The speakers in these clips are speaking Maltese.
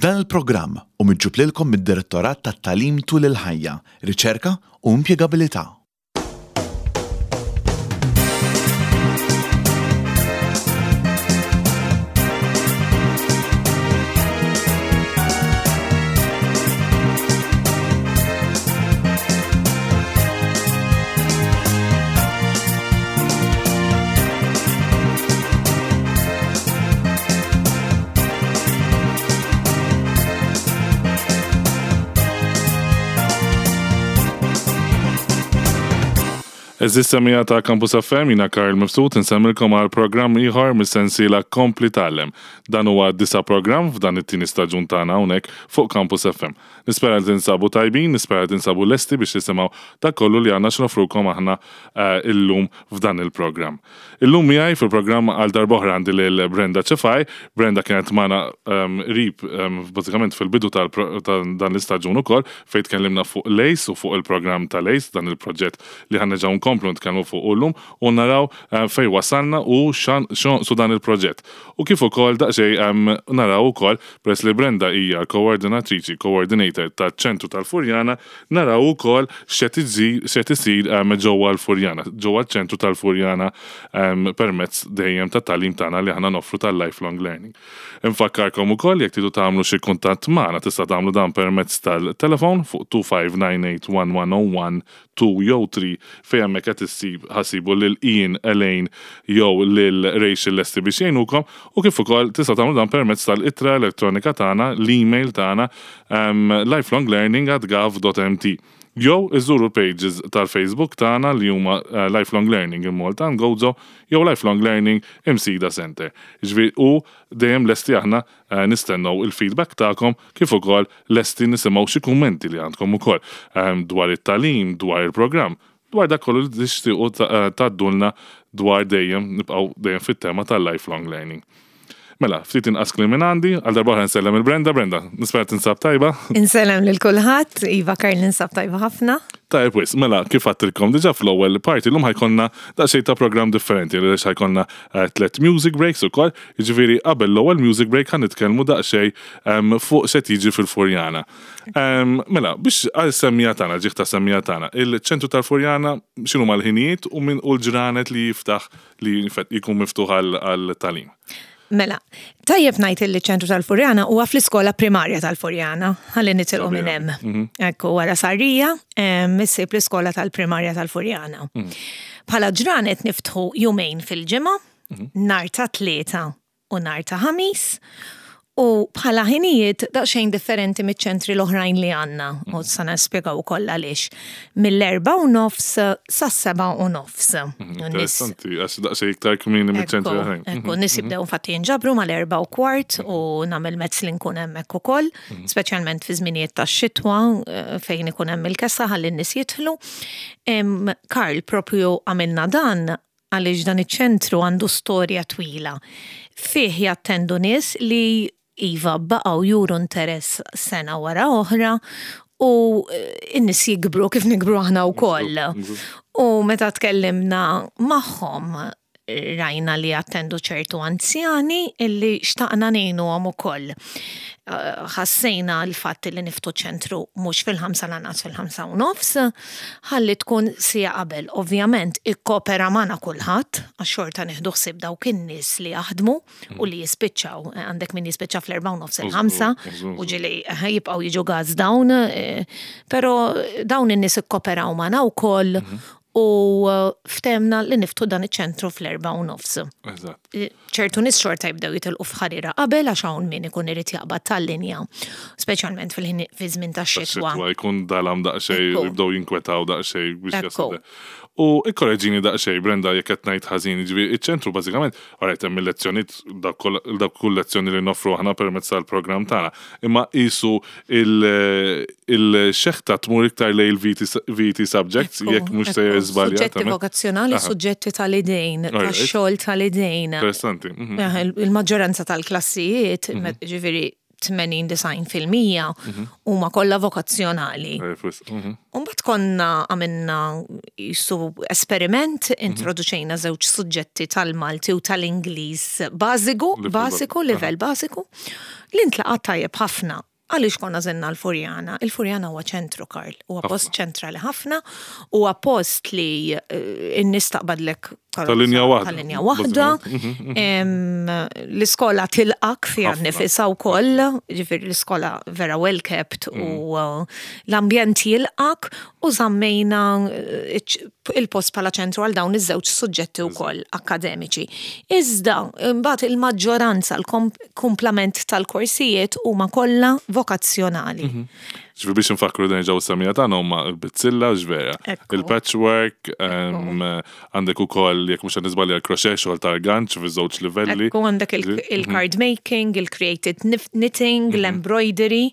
Dan il-programm hu miġjub lilkom mid-Direttorat tat-Tagħlim Tul il-Ħajja, Riċerka u Impjegabilità. Eżis semija ta' Campus FM, jina Karl Mifsud, nsemmilkom għal programm ieħor mis-sensiela Kompli Tgħallem. Dan huwa disa programm f'dan it-tieni staġun tagħna hawnhekk fuq Campus FM. Nispera li tinsabu tajbin, nispera li tinsabu lesti biex tisimgħu dak kollu li għandna x'nofrukom aħna eh, illum f'dan il-programm. Illum miegħi fil-programm għal darb'oħra għandi lil Brenda Cefai. Brenda kienet magħna ehm, qrib ehm, bażikament fil-bidu ta' dan l-istaġun ukoll fejn tkellimna fuq l-ACE u fuq il-programm tal-ACE, dan il-proġett li ħa nerġgħu nkomplu nitkellmu fuqu llum u naraw eh, fejn wasalna u x'jonqsu dan il-proġett. U kif ukoll daqsxejn ehm, naraw ukoll peress li Brenda hija l-koordinatriċi, coordinator taċ-ċentru tal-Furjana, Naraw ukoll x'qed isir ġewwa l-Furjana, ġewwa ċ-ċentru tal-Furjana permezz dejjem tat-tagħlim tagħna li aħna noffru tal-lifelong learning. Infakkarkom ukoll jekk tridu tagħmlu xi kuntatt magħna tista' tagħmlu dan permezz tal-telefon fuq 25981101 2 jew 3 fejn hemmhekk qed issib ħa ssibu lil Ian, Elaine jew lil Rachel lesti biex jgħinukom u kif ukoll tistgħu tagħmlu dan permezz tal-ittra elettronika tagħna, l-email tagħna lifelonglearning at gov.mt jew iżuru l-pages tal-Facebook tagħna li huma eh, Lifelong Learning in Malta and Gozo jew Lifelong Learning Imsida Center. Ġifieri u dejjem lesti aħna eh, nistennew il-feedback tagħkom kif ukoll lesti nisimgħu xi kummenti li għandkom ukoll ehm, dwar it-tagħlim, dwar il-programm, dwar dak kollu li tixtiequ eh, tgħaddulna dwar dejjem nibqgħu dejjem fit-tema tal-lifelong learning. Mela, ftit inqas kliem minn għandi, għal darba oħra nsellem il-Brenda. Brenda, nispera tinsab tajba. Insellem lil kulħadd, Iva Karl ninsab tajba ħafna. Tajb wis, mela kif għattilkom diġà fl-ewwel parti llum ħajkonna daqsxejn ta' programm differenti għaliex ħajkonna eh, tliet music breaks ukoll, jiġifieri qabel l-ewwel music break ħa nitkellmu daqsxejn ehm, fuq se tiġi fil-Furjana. Ehm, mela, biex għal semmija tagħna, ġieħ ta' semmija tagħna, il-ċentru tal-Furjana x'inhu mal-ħinijiet u min u l-ġranet li jiftaħ li jkun miftuħ għal tagħlim. Mela, tajjeb ngħid li ċentru tal-Furjana huwa fl-iskola primarja tal-Furjana, ħalli nitilqu minn hemm. Mhm. Ekku wara Sarrija, issib l-iskola tal-primarja tal-Furjana. Mhm. Bħala ġranet niftħu jumejn fil-ġimgħa, mhm. nar ta' tlieta u nar ta' ħamis, u bħala ħinijiet daqsxejn differenti miċ-ċentri l-oħrajn li għandna, u sa nispjegaw ukoll għaliex. Mill-4:30 sas-7:30. Interessanti, għax daqsxejn iktar kmieni miċ-ċentri l-oħrajn. Ekku, nies jibdew infatti jinġabru mal-4:15 u nagħmel mezz li nkun hemmhekk ukoll, speċjalment fi żminijiet tax-xitwa fejn ikun hemm il-kesa ħalli n-nies jidħlu. Karl, propju għamilna dan għaliex dan iċ-ċentru għandu storja twila. Fih jattendu nies li iva baqgħu juru interess sena wara oħra u n-nies jikbru kif nikbru aħna wkoll. U meta tkellimna magħhom rajna li jattendu ċertu anzjani illi xtaqna ngħinuhom ukoll. Ħassejna l-fatt li niftu ċentru mhux fil-5 lanqas fil-5:30, ħalli tkun siegħa qabel. Ovvjament ikkopera magħna kulħadd għax xorta nieħdu ħsieb dawk in-nies li jaħdmu u li jispiċċaw. Għandek min jispiċċa fl-4:30 il-5 u ġieli jibqgħu jiġu gas dawn, però dawn in-nies ikkoperaw magħna wkoll u ftemna li niftu dan iċ-ċentru fl-4:30. Eżatt. Ċertu nies xorta jibdew jitilqu f'ħarira qabel għax hawn min ikun irid jaqbad tal-linja, speċjalment fil-ħin fi żmien tax-xitwa. Tax-xitwa jkun dalam daqsxejn u jibdew jinkwetaw daqsxejn biex jaslu. U ikkoreġini daqsxejn Brenda jekk qed ngħid ħażin, jiġifieri iċ-ċentru bażikament, alright hemm il-lezzjonijiet dak kull lezzjoni li noffru aħna permezz tal-programm tagħna, imma qisu il-xeħta tmur iktar lejn il-VT subjects, jekk mhux sejjer żbaljat. Suġġetti vokazzjonali, suġġetti tal-idejn, tax-xogħol tal-idejn. Interessanti. Mhm. Il-maġġoranza tal-klassijiet, mhm. ġifieri 80-90% huma kollha vokazzjonali. U mbagħad konna għamilna jisu esperiment, introduċejna żewġ suġġetti tal-Malti u tal-Ingliż bażiku, bażiku, livell bażiku, li ntlaqa' tajjeb ħafna. Għaliex konna żenna l-Furjana? Il-Furjana huwa ċentru, Karl, huwa post ċentrali ħafna, huwa post li n-nies taqbadlek Tal-linja waħda. Tal-linja waħda. L-iskola tilqak fiha nnifisha wkoll, ġifieri l-iskola vera well kept u l-ambjent jilqak u żammejna il-post bħala ċentru għal dawn iż-żewġ suġġetti wkoll akkademiċi. Iżda mbagħad il-maġġoranza, l-kumplament tal-korsijiet huma kollha vokazzjonali. Ġifieri biex nfakkru nerġgħu s-semija tagħna huma l-bizzilla x'vera. Il-patchwork, għandek ukoll jekk mhux qed niżbalja l-crochet xogħol tal-ganċ fiż-żewġ livelli. Ekku għandek il-card making, il-created knitting, l-embroidery,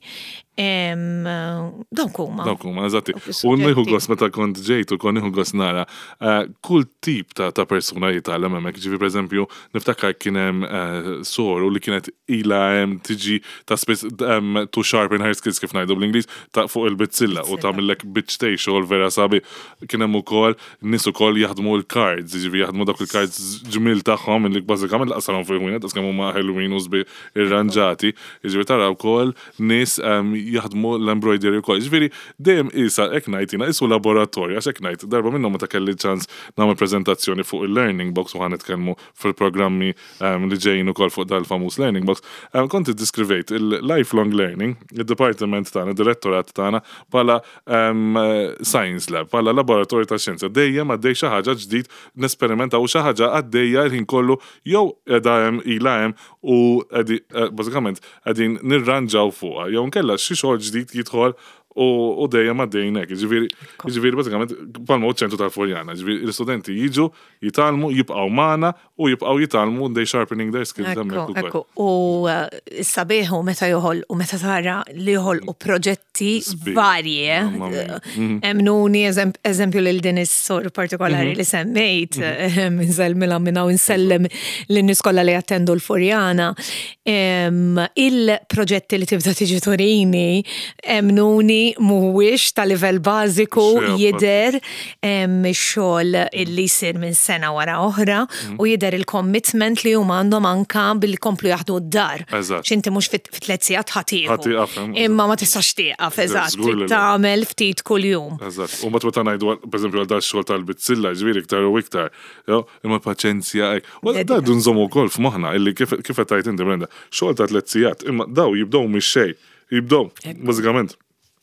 dawk huma. Dawk huma, eżatti. U nieħu gost meta kont ġejt u kont nieħu gost nara kull tip ta' persuna jitgħallem hemmhekk. Ġifieri pereżempju niftakar kien hemm soru li kienet ilha hemm tiġi ta' spiss to sharpen her skills kif ngħidu bl-Ingliż ta' fuq il-bizzilla u tagħmillek biċċtej xogħol vera sabiħ. Kien hemm ukoll nies ukoll jaħdmu l-cards, jiġifieri jaħdmu dawk il-cards ġmiel tagħhom li bażikament lanqas tarahom fil-ħwienet daqs kemm huma ħelwin u sbieħ irranġati. Jiġifieri tara wkoll nies jaħdmu l-embroidery wkoll. Jiġifieri dejjem qisha hekk ngħid jiena qisu laboratorju għax hekk ngħid darba minnhom meta kelli ċans nagħmel preżentazzjoni fuq il-learning box u ħa nitkellmu fil-programmi li ġejjin ukoll fuq dal-famuż learning box, kont iddiskrivejt il-lifelong learning, id-dipartiment tagħna, id-direttorat tagħna bħala science lab, bħala laboratorju ta' xjenza. Dejjem għaddej xi ħaġa ġdid nesperimentaw xi ħaġa għaddejja l-ħin kollu jew qiegħda hemm ilha hemm u bażikament qegħdin nirranġaw fuqha jew inkella xi xogħol ġdid jidħol u dejjem għaddejjin hekk. Jiġifieri, jiġifieri bażikament bħalma hu ċ-ċentru tal-Furjana, jiġifieri l-istudenti jiġu, jitgħallmu, jibqgħu magħna u jibqgħu jitgħallmu they sharpening their skills hemmhekk ukoll. Ekku, u s-sabiħ hu meta joħolqu, meta tara li joħolqu proġetti varji. Emmnuni, eżempju lil din is-sor partikolari li semmejt, insellmilha minn hawn insellem lin-nies kollha li jattendu l-Furjana. Il-proġetti li tibda tiġi turini, emmnuni mhuwiex ta' livell bażiku jidher ix-xogħol illi jsir minn sena wara oħra u jidher il-commitment li huma għandhom anka billi jkomplu jaħdmu d-dar. X'inti mhux fi tliet sigħat ħa tieħu. Imma ma tistax tieqaf, eżatt. Tagħmel ftit kuljum. Eżatt. U mbagħad meta ngħidu pereżempju għal dax-xogħol tal-bizzilla, ġifieri iktar u iktar. Imma paċenzja hekk. U da rridu nżommu wkoll f'moħħna illi kif qed tgħid inti Brenda, xogħol ta' tliet sigħat, imma daw jibdew mix-xejn. Jibdew, bażikament,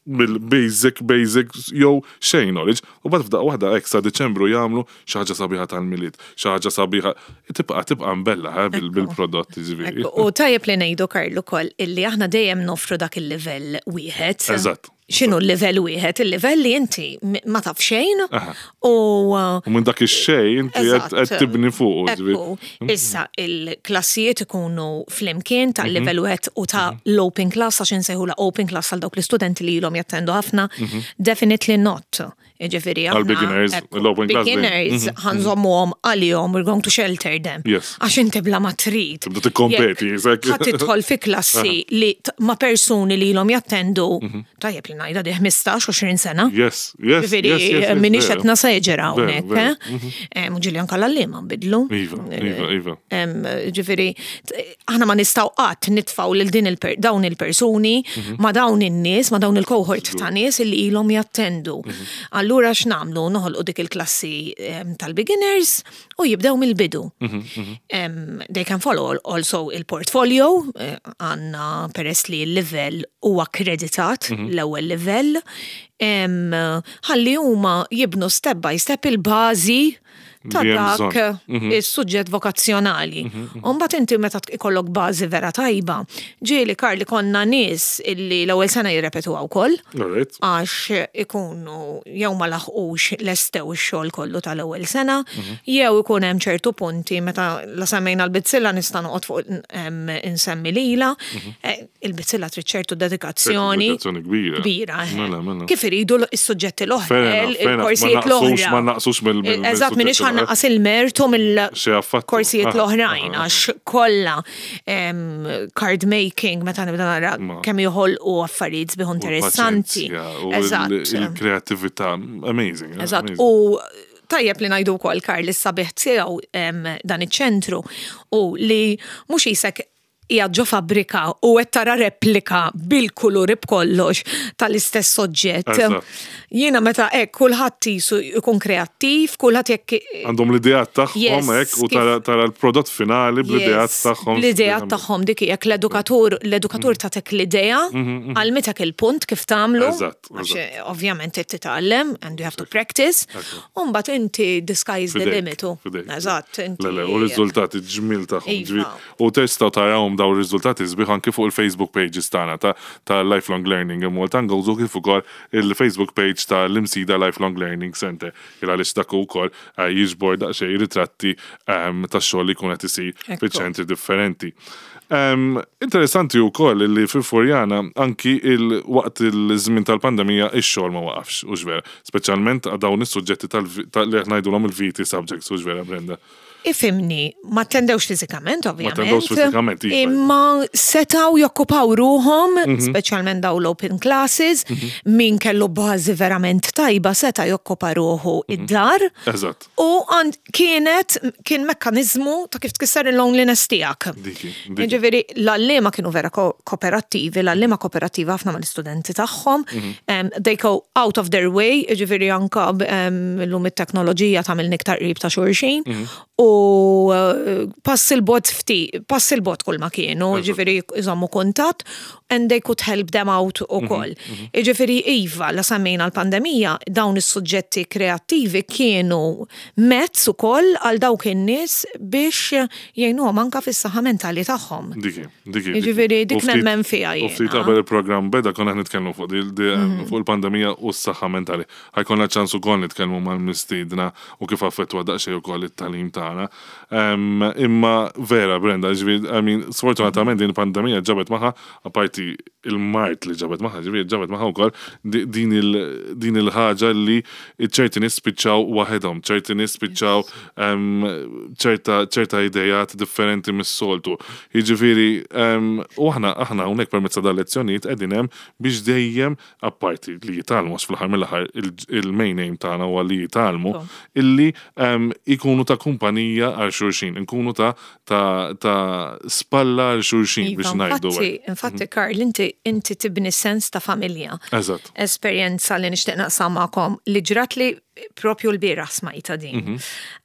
mill-basic, basic, jew xejn knowledge, u mbagħad f'daqqa waħda hekk sa Diċembru jagħmlu xi ħaġa sabiħa tal-Milied, xi ħaġa sabiħa, tibqa' tibqa' mbella bil-prodott jiġifieri. U tajjeb li ngħidu Karl ukoll illi aħna dejjem noffru dak il-livell wieħed. Eżatt. X'inhu l-livell wieħed? Il-livell li inti ma taf xejn u. U minn dak ix-xejn inti qed tibni fuqu. Ekku. Issa il-klassijiet ikunu flimkien tal-livell wieħed u ta' l-open class għax insejħulha open class għal dawk l-istudenti li ilhom jattendu ħafna. Definitely not. Jiġifieri aħna. Għal-beginners, l-open class. Beginners ħanżommuhom għalihom, we're going to shelter them. Yes. Għax inti bla ma trid. Tibda tikkompeti, Ħa tidħol fi klassi li ma' persuni li ilhom jattendu, tajjeb li ngħidha di 15-20 sena. Yes, yes. Jiġifieri m'iniex qed naseġera hawnhekk, eh? U ġieli anke l-għalliema nbidlu. Iva, iva, iva. Ġifieri aħna ma nistgħu qatt nitfgħu lil din dawn il-persuni mhm. ma dawn in-nies, ma dawn il-cohort ta' nies illi ilhom jattendu. Mhm. Allura x'nagħmlu? Noħolqu dik il-klassi tal-beginners u jibdew mill-bidu. Mhm, they can follow also il-portfolio, eh, għandna peress li l-livell huwa akkreditat l-ewwel livell, ħalli huma jibnu step by step il-bażi ta' dak mhm. is-suġġett vokazzjonali. Mhm, mhm. U mbagħad inti meta ikollok bażi vera tajba, ġieli Karli konna nies illi l-ewwel sena jirrepetuha wkoll. Għax ikunu jew ma laħqux lestew ix-xogħol kollu tal-ewwel sena, jew ikun hemm ċertu punti meta la semmejna l-bizzilla nista' noqgħod fuq insemmi lila. Eh, il-bizzilla trid ċertu dedikazzjoni. Dedikazzjoni kbira. Kbira. Eh. Mela, mela. Kif iridu s-suġġetti l-oħra, il-korsijiet l-oħra. Ma naqsux mill Eżatt, Minix ħa nnaqqas il-mertu Xi affattu. mill-korsijiet l-oħrajn, għax kollha card making, meta nibda nara kemm joħolqu affarijiet sbieħ interessanti. U paċenzja, u il-kreativita, amazing. Eżatt, amazing. U tajjeb li ngħidu wkoll, Karl, is-sabiħ tiegħu dan iċ-ċentru u li mhux jisek hija ġo fabbrika u qed tara replika bil-kuluri b'kollox tal-istess oġġett. Jiena meta hekk kulħadd jisu jkun kreattiv, kulħadd jekk Għandhom l-ideat tagħhom hekk u tara l-prodott finali bl-ideat tagħhom. L-ideat tagħhom dik jekk l-edukatur tagħtek l-idea, għallmitek il-punt kif tagħmlu. Għax ovvjament trid titgħallem and you have to practice. U mbagħad inti the sky is the Fidejk, limit. Fidejk. Eżatt, inti. Le, le, u r-riżultati ġmil tagħhom. Iva. U tistgħu tarawhom daw ir-riżultati sbieħ anki fuq il-Facebook pages tagħna ta' Lifelong Learning in Malta and Gozo kif ukoll il-Facebook page ta' l-Imsida Lifelong Learning Center. Il għaliex dak ukoll jiġbor daqsxejn ritratti tax-xogħol li jkun qed isir fiċ-ċentri differenti. Interessanti wkoll li fil-Furjana anki il-waqt il-żmien tal-pandemija ix-xogħol ma waqafx, u vera, speċjalment għal dawn is-suġġetti li qed ngħidulhom il-VT subjects, u vera, Brenda? Ifhimni, ma attendewx fiżikament, ovvjament. Ma attendewx fiżikament, iva. Imma setaw jokkupaw ruħhom, speċjalment daw l-open classes, min kellu bażi verament tajba seta jokkupa ruħu id-dar. U kien mekkanizmu ta' kif tkisser il-loneliness tiegħek. Diki, diki. Ġifieri, l-għalliema kienu vera kooperattivi, l-għalliema kooperattiva ħafna mal-istudenti tagħhom. They go out of their way, ġifieri anka l-lum it-teknoloġija tagħmel iktar qrib ta' xulxin. U pass il-bogħod ftit, pass il-bogħod kull ma kienu, ġifieri jżommu kuntatt, and they could help them out ukoll. Ġifieri iva, la semmejna l-pandemija, dawn is-suġġetti kreattivi kienu mezz ukoll għal dawk in-nies biex jgħinuhom anka fis-saħħa mentali tagħhom. Diki, diki, diki. Ġifieri dik U ftit- nemmen fiha U ftit jiena. qabel il-programm beda konna nitkellmu fuq il-pandemija u s-saħħa mentali. Ħa jkollna ċans ukoll nitkellmu mal-mistiedna u kif affettwa daqsxejn ukoll it-tagħlim tagħna. Imma vera, Brenda, ġifieri, I mean, sfortunatament din il-pandemija ġabet magħha, apparti il-mard li ġabet magħha, ġifieri ġabet magħha wkoll din il-ħaġa li ċerti nies spiċċaw waħedhom, ċerti nies spiċċaw ċerta idejat differenti mis-soltu. Jiġifieri, u aħna hawnhekk permezz ta' dal-lezzjonijiet qegħdin hemm biex dejjem apparti li jitgħallmu, għax fl-aħħar mill-aħħar il-main aim tagħna huwa li jitgħallmu, illi ikunu ta' kumpanija għal xulxin, inkunu ta' spalla għal xulxin Iva, biex ngħidu hekk. Infatti, Karl, inti tibni sens ta' familja. Esperjenza li nixtieq naqsam magħkom li ġrat li propju l-bieraħ smajta din.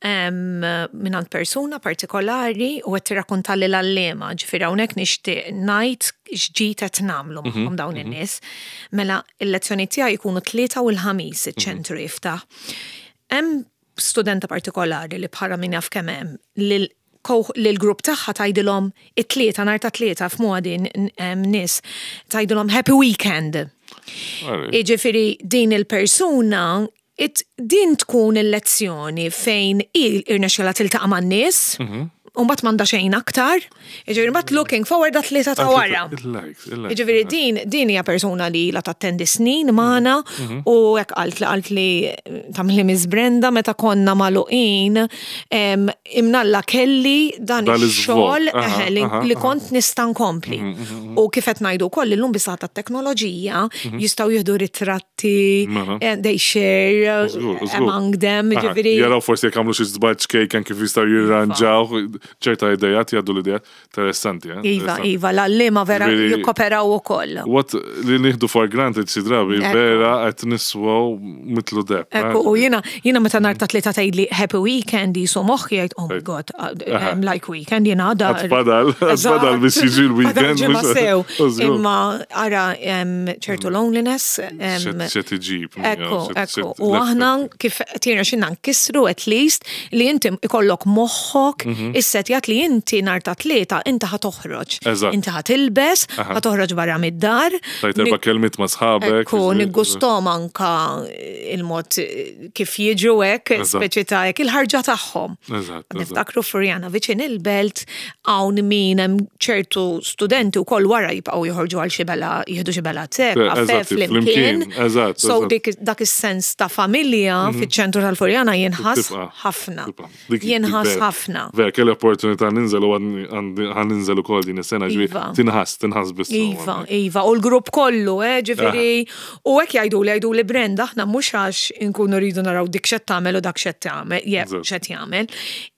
Mingħand persuna partikolari u qed tirrakkonta li l-għalliema, ġifieri hawnhekk nixtieq ngħid x'ġid qed nagħmlu magħhom dawn in-nies. Mela il-lezzjoni tiegħi jkunu Tlieta u l-Ħamis iċ-ċentru jiftaħ. Hemm studenta partikolari li bħala min jaf kemm hemm li l-grupp tagħha tgħidilhom it-Tlieta, nhar ta' Tlieta f'modi nies tgħidilhom "Happy weekend". Jiġifieri din il-persuna din tkun il-lezzjoni fejn irnexxela tiltaqa' man-nies, u mbagħad m'għandha xejn aktar, jiġifieri mbagħad looking forward għat-Tlieta ta' wara. Il-likes, il-likes. Jiġifieri din hija persuna li la tattendi snin magħna u hekk qalt li tagħmli Miss Brenda meta konna magħluqin imnalla kelli dan Dan ix-xogħol l-iżvog. li kont nista' nkompli. U kif qed ngħidu wkoll illum bis tat-teknoloġija jistgħu jieħdu ritratti, they share among them, ġifieri. Jaraw forsi jekk għamlu xi żball ċkejken kif jistgħu jirranġaw ċerta idejat, jgħaddu l-idejat. Interessanti, eh? Iva, Interessanti. iva, l-għalliema vera Ġifieri jikkoperaw ukoll. What li nieħdu for granted xi drabi vera qed niswaw mitlu deb. Ekku, u jiena meta nhar ta' Tlieta tgħidli "happy weekend" jisu moħħi jgħid, "Oh my God, like weekend jiena għada." Għad fadal biex jiġi l-weekend. Fadal ġimgħa sew. Żgur. Imma ara ċertu loneliness. X'qed iġib, Ekku, ekku. U l-effett. aħna kif tirna xinna nkissru at least li inti ikollok moħħok issettjat li inti nhar ta' Tlieta inti ħa toħroġ. Eżatt. Inti ħa tilbes, ħa toħroġ barra mid-dar. Tajt erba' kelmiet ma' sħabek. Ekku, niggustom anka il-mod kif jiġu hekk, speċi ta' hekk il-ħarġa tagħhom. Eżatt. Niftakru Furjana viċin il-belt hawn min hemm ċertu studenti wkoll wara jibqgħu joħorġu għal xi bela jieħdu xi bela te, kafe flimkien. Eżatt. So dik dak is-sens ta' familja fiċ-ċentru tal-Furjana jinħass ħafna. Jinħass ħafna. Vera, kelli opportunità ninżel u ħa ninżel ukoll din is-sena ġifieri Iva. tinħass, tinħass biss. Iva, iva, u l-grupp kollu, eh, ġifieri, u hekk jgħiduli, jgħiduli Brenda, aħna mhux għax inkunu rridu naraw dik x'qed tagħmel u dak x'qed tagħmel, jew Eżatt. x'qed jagħmel,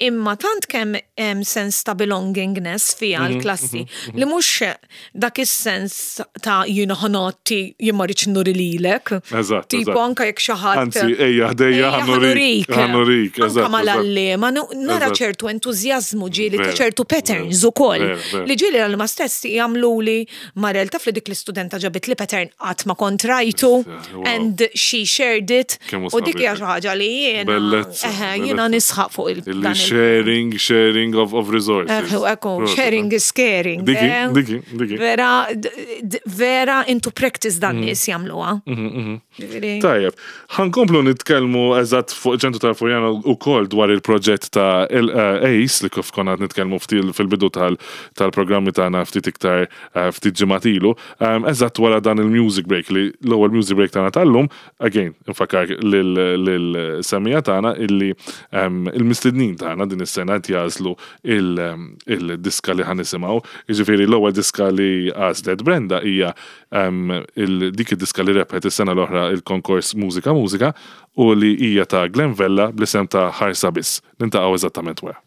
imma tant kemm hemm sens ta' belongingness fiha l-klassi li mhux dak is-sens ta' jiena ħa nagħti jien ma rridx nuri lilek. Eżatt, Tipo eżatt. anke jekk xi ħadd. Anzi, ejja ħdejja Ejja, ħa nurik, ħa nurik, Anka eżatt, eżatt. mal-għalliema, nara Eżatt. ċertu entużjażmu ġieli ta' Vera, ċertu patterns vera, ukoll. vera, vera. Li ġieli għal ma stess jagħmluli Marel taf li dik l-istudenta ġabit li pattern qatt ma kont rajtu Wow. and she shared it. Kemm hu U dik sabiħ. hija xi ħaġa li jiena Bellezza, eħe, jiena bellezza. nisħaq fuq il Illi dan il- sharing, sharing of resources. Ekku, ekku, Proset, sharing is caring. Diki, eh? diki, diki. Vera, vera into practice dan nies jagħmluha. Ġifieri- Tajjeb, ħankomplu nitkellmu eżatt fuq ċentru tal-Furjana u kol dwar il-proġett ta' ACE li kif konna qed nitkellmu ftit fil-bidu tal-programmi tagħna ftit iktar ftit ġimgħat ilu. Eżatt wara dan il-music break li l-ewwel music break tagħna tal-lum, again, infakkar lil-semija tagħna illi il-mistednin tagħna din is-sena qed jagħżlu il-diska li ħa nisimgħu. Jiġifieri l-ewwel diska li għażlet Brenda hija dik id-diska li rebħet is-sena l-oħra il-konkors Mużika Mużika u li hija ta' Glenn Vella bl-isem ta' Ħarsa Biss. Nintaqgħu eżattament wara.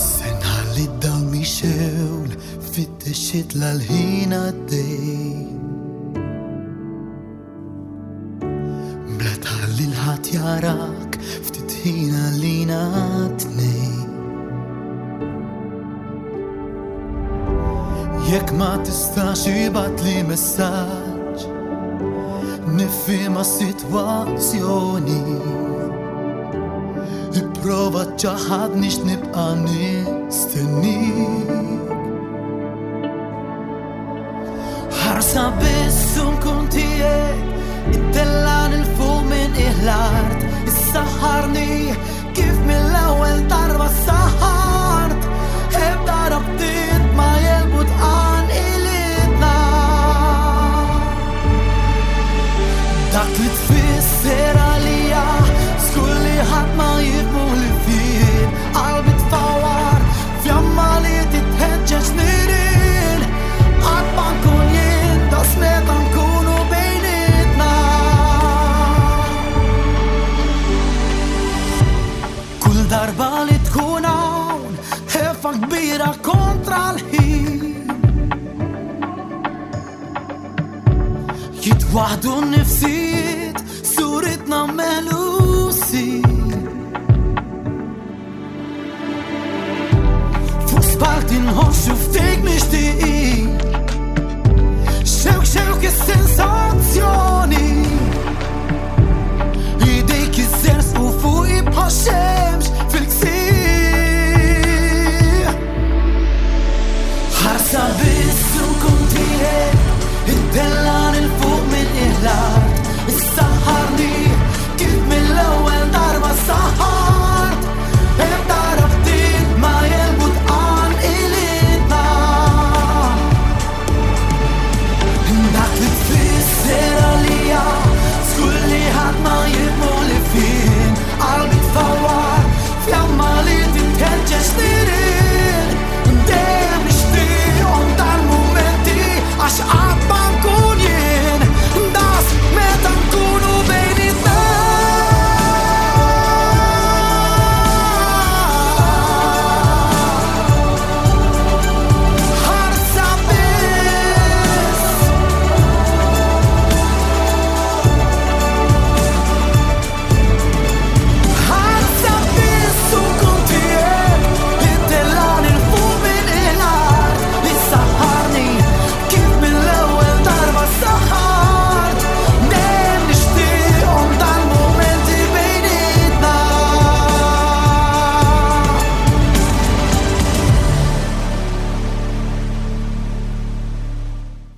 Se nħalli d-dawl mixewl fit-tixit l-ħin għaddej. Bla tħalli l-ħadd jarak ftit ħin għalina tnej. Jekk ma tistax ibgħatli messaġġ, nifhimha s-sitwazzjoni. Ipprova ċaħadni x'nibqa' nistennik. Ħarsa biss u nkun tiegħek, ittellan il-fuq minn l-art, issaħħarni kif mill-ewwel darba saħħart. Ebda rabtiet ma jelbu tqan ilitna. Dak li tfisser għalija, żgur li ħadd ma jifhmu li fien. Qalbi tfawar, fjamma li titħeġġeġ nirien. Qatt ma nkun jien, daqs meta nkunu bejnietna. Kull darba li tkun hawn, ħefa kbira kontra l-ħin. Jitwaħdu n-nifsijiet, suritna melusi. Fuq spalti nħossu ftik mixtieqin. Xewk xewk is-sensazzjoni. Idejk iżżersqu fuqi bħal xemx fil-ksieħ. Ħarsa biss u nkun tiegħek, ittellan il fuq minn l-art, issaħħarni kif mill-ewwel darba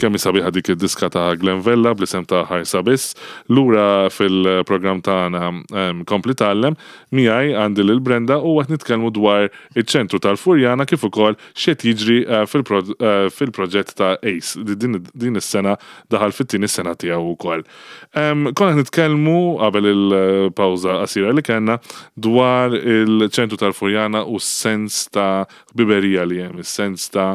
Kemm hi sabiħa dik id-diska ta' Glen Vella bl-isem ta' Ħarsa Biss. Lura fil-programm tagħna Kompli Tgħallem, miegħi għandi lil Brenda u qed nitkellmu dwar iċ-ċentru tal-Furjana kif ukoll x'qed jiġri fil-proġett ta' ACE li din is-sena daħal fit-tieni sena tiegħu wkoll. Konna qed nitkellmu qabel il-pawża qasira li kellna dwar il-ċentru tal-Furjana u s-sens ta' ħbiberija li hemm, is-sens ta'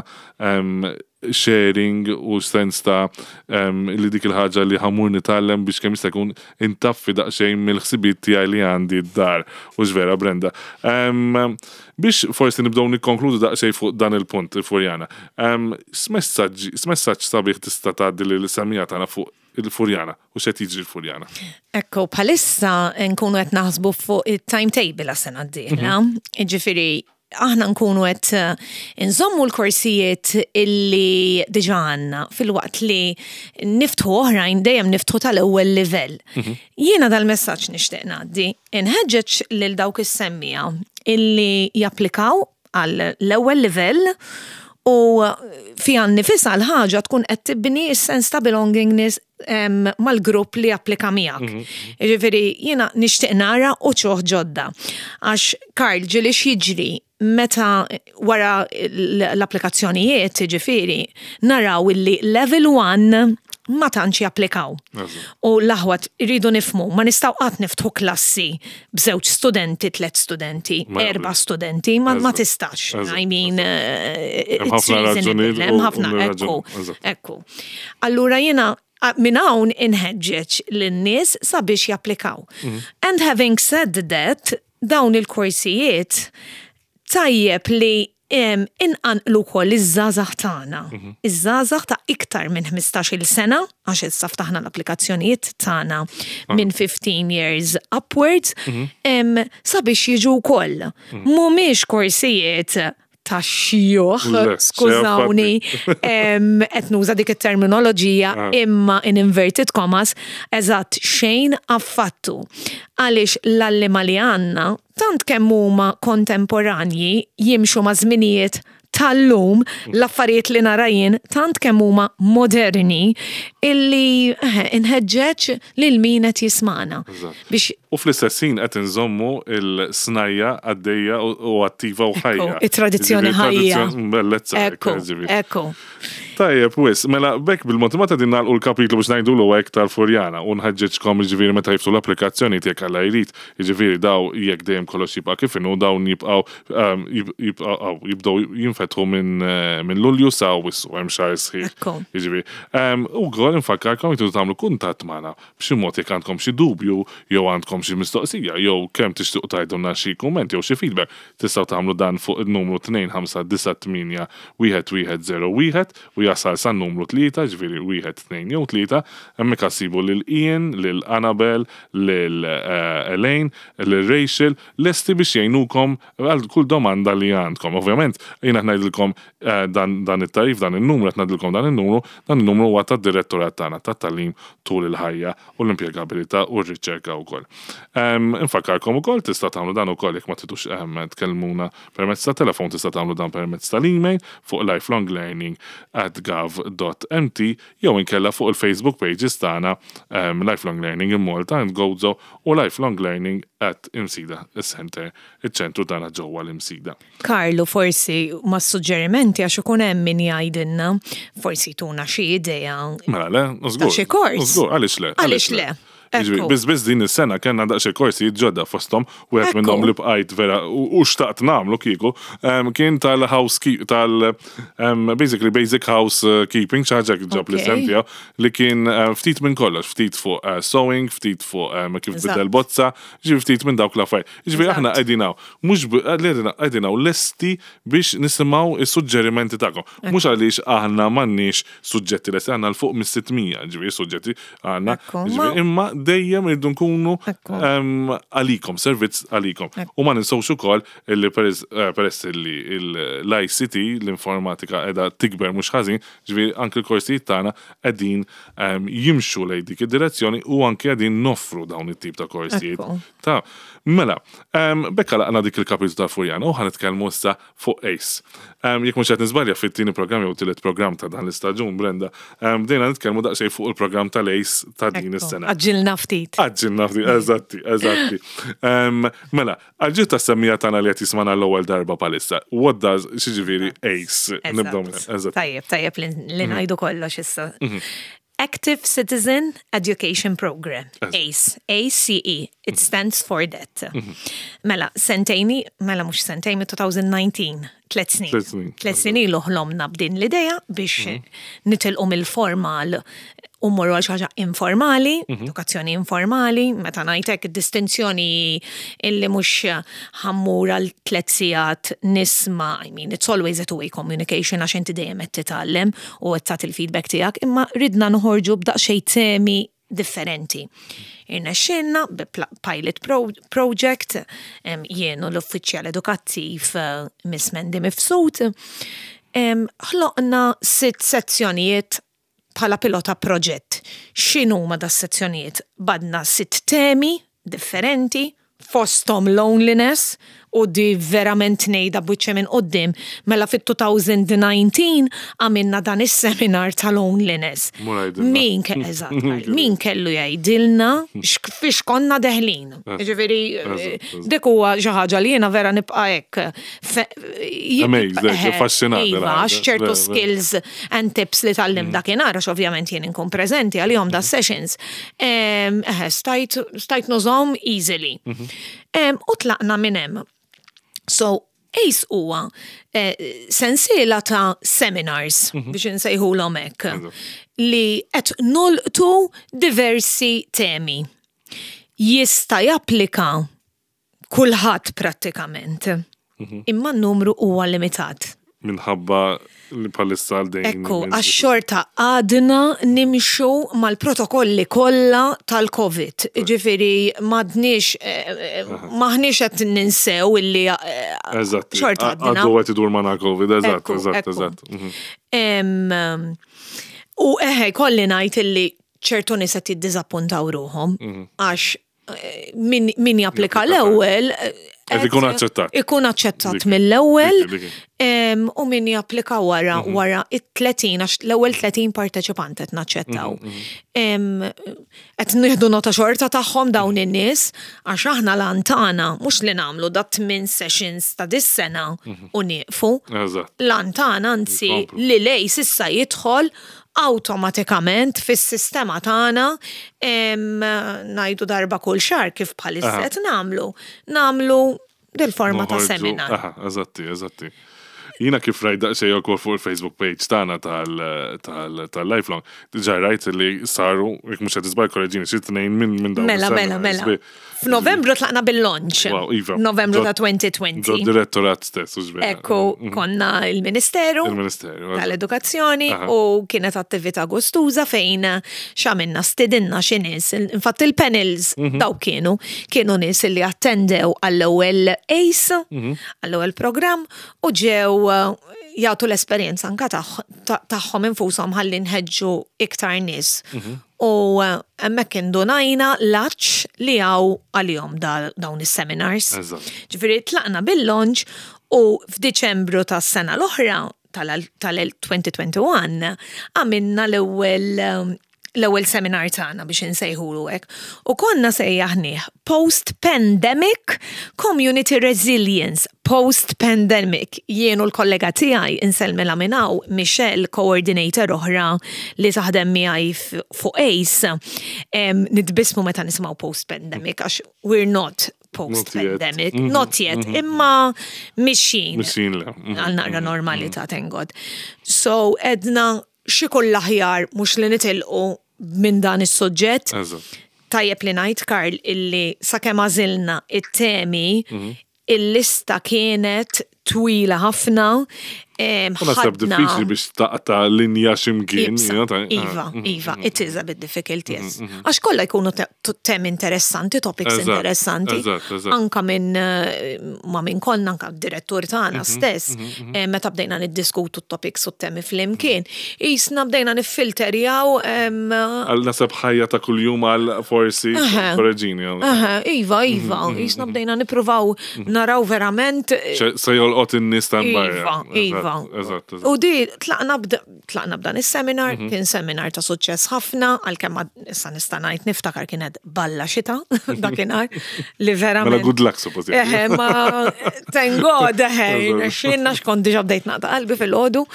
sharing u sens ta' li dik il-ħaġa li ħamur nitgħallem biex kemm jista' jkun intaffi daqsxejn mill-ħsibijiet tiegħi li għandi d-dar. U vera Brenda. Biex forsi nibdew nikkonkludu daqsxejn fuq dan il-punt, il-Furjana. X'messaġġ sabiħ tista' tgħaddi lil semmiegħa tagħna fuq il-Furjana u x'qed jiġri l-Furjana? Ekku, bħalissa nkunu qed naħsbu fuq il-timetable għas-sena d-dieħla. Ġifieri, aħna nkunu qed inżommu l-korsijiet illi diġà għandna filwaqt li niftħu oħrajn dejjem niftħu tal-ewwel livell. Jiena dal-messaġġ nixtieq ngħaddi, inħeġġeġ lil dawk is-semmiegħa illi japplikaw għal l-ewwel livell u fiha nnifisha l-ħaġa tkun qed tibni s-sens ta' belongingness mal-grupp li applika miegħek. Jiġifieri jiena nixtieq nara uċuħ ġodda. Għax Karl ġieli x'jiġri meta wara l-applikazzjonijiet, ġifieri, naraw illi level 1 ma tantx japplikaw. U l-aħwa rridu nifhmu, ma nistgħu qatt niftħu klassi b'żewġ studenti, tlet studenti, erba' studenti, ma tistax. I mean, it's reasonable. Hemm ħafna, ekku, ekku. Allura jiena minn hawn inħeġġeġ lin-nies sabiex japplikaw. And having said that, dawn il-korsijiet tajjeb li inqanqlu wkoll iż-żgħażagħ tagħna. Iż-żgħażagħ ta' iktar minn 15-il sena, għax issa ftaħna l-applikazzjonijiet tagħna minn 15 years upwards, sabiex jiġu wkoll. Mhumiex korsijiet ta' xjuħ, skużawni, qed nuża dik it-terminoloġija imma in inverted commas, eżatt xejn affattu. Għaliex l-għalliema li għandna tant kemm huma kontemporanji jimxu ma' żminijiet tal-lum, l-affarijiet li nara jien tant kemm huma moderni illi inħeġġeġ lil min qed jismana. Biex U fl-istess ħin qed inżommu il-snajja għaddejja u attiva u ħajja. It-tradizzjoni ħajja. Bellezza. Ekku, ekku. Tajjeb, wis, mela bekk bil-mod ma ta' din nagħlqu l-kapitlu biex ngħidulu hekk tal-Furjana u nħeġġeġkom jiġifieri meta jiftħu l-applikazzjoni jekk Alla jrid, jiġifieri daw jekk dejjem kollox jibqa' kif inhu dawn jibqgħu jibqgħu jibdew jinfetħu minn Lulju sa Awwissu hemm xahar sħiħ. Jiġifieri. U wkoll infakkarkom jekk tridu tagħmlu kuntatt magħna b'xi mod jekk għandkom xi dubju jew għandkom xi mistoqsija jew kemm tixtiequ tgħidulna xi kumment jew xi feedback, tistgħu tagħmlu dan fuq in-numru 2598 1101 u jasal san-numru 3, jiġifieri wieħed, tnejn jew tlieta. Hemmhekk issibu lil Ian, lil Annabel, lil Elaine, lil Rachel, lesti biex jgħinukom għal kull domanda li għandkom. Ovvjament, jiena qed ngħidilkom dan dan it-tagħrif, dan in-numru, qed ngħidilkom dan in-numru, dan in-numru huwa tad-direttorat tagħna tat-tagħlim tul il-ħajja u l-impjegabilità u r-riċerka wkoll. Infakkarkom ukoll tista' tagħmlu dan ukoll jekk ma tridux tkellmuna permezz ta' telefon tista' tagħmlu dan permezz tal-email fuq lifelonglearning@gov.mt jew inkella fuq il-Facebook pages tagħna Lifelong Learning in Malta and Gozo u Lifelong Learning at Imsida Center, iċ-ċentru tagħna ġewwa l-Imsida. Karlu forsi ma' suġġerimenti għax ikun hemm min jgħidilna, forsi tuna xi idea. Mela le, żgur. Xi kors. Żgur, għaliex le? Għaliex le? Jiġifieri, biss biss din is-sena kellna daqsxejn korsijiet ġodda fosthom, wieħed minnhom li bqajt vera u xtaqt nagħmlu kieku, kien tal-house tal basically basic housekeeping xi ħaġa ġab l-isem tiegħu li kien ftit minn kollox, ftit fuq sewing, ftit fuq kif tbiddel bozza, ġifieri ftit minn dawk l-affarijiet. Jiġifieri aħna qegħdin hawn, mhux qegħdin hawn lesti biex nisimgħu s-suġġerimenti tagħkom. Mhux għaliex aħna m'għandniex suġġetti lesti, għandna 'l fuq mis-600 ġifieri suġġetti għandna. Imma dejjem irridu nkunu għalikom, servizz għalikom. U ma ninsewx ukoll illi peress illi l-ICT, l-informatika qiegħda tikber mhux ħażin, ġifieri anke l-korsijiet tagħna qegħdin jimxu lejn dik id-direzzjoni u anke qegħdin noffru dawn it-tip ta' korsijiet. Ta' Mela, b'hekk għalaqna dik il-kapitlu tal-Furjana u ħa nitkellmu issa fuq Ace. Jekk mhux qed niżbalja fit-tieni programm jew tielet programm ta' dan l-istaġun, Brenda, bdejna nitkellmu daqsxejn fuq il-programm tal-Ace ta' din is-sena. Għaġġilna ftit. Għaġġilna ftit, eżatti, eżatti. Mela, għal-ġid tas-semmiegħa tagħna li qed jismagħna l-ewwel darba bħalissa, what does, x'jiġifieri Ace? Nibdew minn hemm, eżatt. Tajjeb, tajjeb li ngħidu kollox issa. Active Citizen Education Program, ACE, A-C-E, it stands for that. Mela, sentejni, mela mux sentejn, 2019, tlet snin. Tlet snin. Tlet snin ilu ħlomna b'din l-ideja biex nitilqu mill-formal u mmorru għal xi ħaġa informali, edukazzjoni informali, meta ngħidlek id-distinzjoni illi mhux ħa mmur għal tlet sigħat nisma', I mean, it's always a two-way communication għax inti dejjem qed titgħallem u qed tagħti l-feedback tiegħek, imma ridna noħorġu b'daqsxejn temi differenti. Irnexxielna bi pilot project, jien u l-uffiċjal edukattiv Miss Mandy Mifsud, ħloqna sitt sezzjonijiet bħala pilota proġett. X'inhuma das-sezzjonijiet? Badna sitt temi differenti, fosthom loneliness, u di verament ngħidha b'wiċċi minn quddiem, mela fit-2019 għamilna dan is-seminar ta' loneliness. Min eżatt, min kellu jgħidilna fiex konna deħlin. Ġifieri dik huwa xi ħaġa li jiena vera nibqa' hekk. Amazed, affaxxinat. Iva, għax ċertu skills and tips li tgħallimt dakinhar, għax ovvjament jien inkun preżenti għalihom da sessions. Stajt nużahom easily. U tlaqna minn hemm. So, ACE huwa sensiela ta' seminars, biex insejħulhom hekk, li qed nolqtu diversi temi. Jista' japplika kulħadd prattikament, imma n-numru huwa limitat. Minħabba li bħalissa għal dejjem. Ekku, għax xorta għadna nimxu mal-protokolli kollha tal-Covid. Ġifieri m'għadniex maħniex qed ninsew illi xorta għadna. Għadu qed idur magħna Covid, eżatt, eżatt, eżatt. U eħe, kolli ngħid illi ċertu nies qed jiddiżappuntaw ruħhom għax min japplika l-ewwel Qed ikun aċċettat. Ikun aċċettat mill-ewwel u min japplika wara wara it-30 għax l-ewwel 30 parteċipant qed naċċettaw. Qed nieħdu nota xorta tagħhom dawn in-nies għax aħna l-għan tagħna mhux li nagħmlu da tmien sessions ta' dis-sena u nieqfu. L-għan tagħna anzi li l-ACE issa jidħol awtomatikament fis-sistema tagħna ngħidu darba kull xahar kif bħalissa qed nagħmlu. Nagħmlu dil-forma ta' seminar. Aha, eżatti, eżatti. Jiena kif rajt daqsxejn ukoll fuq il-Facebook page tagħna tal-Lifelong, diġà rajt li saru, jekk mhux qed niżball korreġini, xi tnejn minn dawn. Mela, mela, mela. F'Novembru tlaqna bil-launch. Wow, iva. Novembru ta' 2020. Ġo direttorat stess, u ġbir. Ekku, konna il-Ministeru. Il-Ministeru. Tal-Edukazzjoni u kienet attività gustuża fejn x'għamilna stidinna xi nies. Infatti il-panels daw kienu nies li attendew għall-ewwel ACE, għall-ewwel programm u ġew jagħtu l-esperjenza anka tagħhom infushom ħalli nħeġġu iktar nies. U hemmhekk indunajna l-għatx li hawn għalihom dawn is-seminars. Ġifieri tlaqna bil-launch u f'Diċembru tas-sena l-oħra tal-2021 għamilna l-ewwel seminar tagħna biex insejħulu hekk. U konna sejjaħnieh Post-Pandemic Community Resilience. Post-Pandemic. Jien u l-kollega tiegħi insellmilha minn hawn, Michelle, coordinator oħra li taħdem miegħi fuq ACE, nitbismu meta nisimgħu post-pandemic għax we're not post-pandemic, not yet, imma mixin. Mixin le. Għal naqra normalità, thank God. So, edna x'ikun l-aħjar mhux li nitilqu minn dan is-suġġett. Tajjeb li ngħid, Karl, illi sakemm għażilna it-temi, il-lista kienet twila ħafna. U naħseb diffiċli biex taqta' linja x'imkien. Iva, iva, it is a bit difficult, yes. Għax kollha jkunu temi interessanti, topics interessanti. Anka minn eh, ma minn konna, anka direttur tagħna stess, eh, meta bdejna niddiskutu t-topics u t-temi flimkien, jisna bdejna niffilterjaw. Għal nasab ħajja ta' kuljum għal forsi korreġini. Iva, iva, jisna bdejna nippruvaw naraw verament. Se jolqot in-nies ta' barra. Iva, iva. Eżatt, U di tlaqna b'dan is-seminar, mhm. kien seminar ta' suċċess ħafna, għalkemm issa nista' ngħid niftakar kienet balla xita dakinhar li verament. Mela good luck suppost. Eħe, ma thank God, eħe, xinna xkont diġà bdejt naqta' qalbi fil-ħodu.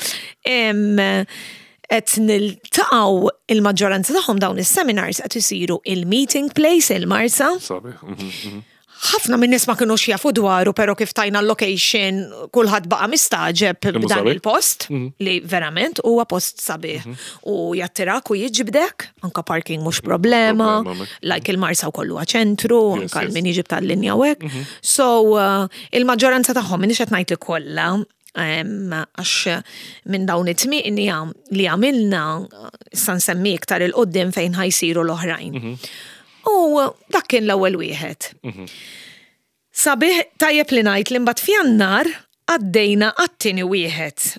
Qed niltaqgħu il-maġġoranza tagħhom dawn is-seminars qed isiru il-meeting place il-Marsa. Sabiħ. Mhm, mhm. Ħafna minn nies ma kinux jafu dwaru, pero kif tajna l-location, kulħadd baqa' mistagħġeb b'dan il-post, mhm. li verament huwa post sabiħ. Mhm. U jattirak u jiġbdek, anka parking mhux problema, like il-Marsa wkoll huwa ċentru, anka min jiġib tal-linja u hekk. Mhm. So, uh, il-maġġoranza tagħhom minix qed ngħid li kollha, għax minn dawn it-tmienja li għamilna, issa nsemmi iktar il-qoddim fejn ħajsiru l-oħrajn. U dak kien l-ewwel wieħed. Mhm. Sabiħ tajjeb li ngħid li mbagħad f'Jannar għaddejna għat-tieni wieħed.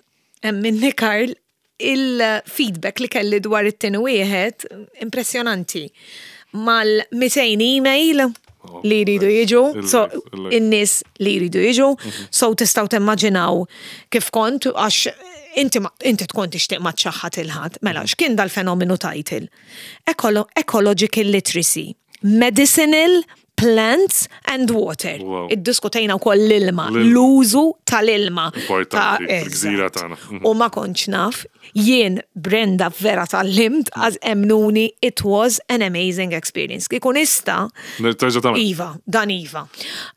Hemm minni Karl il-feedback li kelli dwar it-tieni wieħed impressjonanti. Mal-200 email oh, li jridu jiġu, so in-nies li jridu jiġu, mhm. so tistgħu timmaġinaw kif kont għax inti inti tkun tixtieq ma txaħħat il-ħadd. Mela, mhm. x'kien dal-fenomenu title? Ecological literacy, medicinal plants and water. Wow. Iddiskutejna wkoll l-ilma, l-użu tal-ilma. Importanti, fil-gżira tagħna. Mhm. U ma kontx naf, jien Brenda vera tal-limt, għaz emnuni, it was an amazing experience. Kieku nista. Iva, dan iva.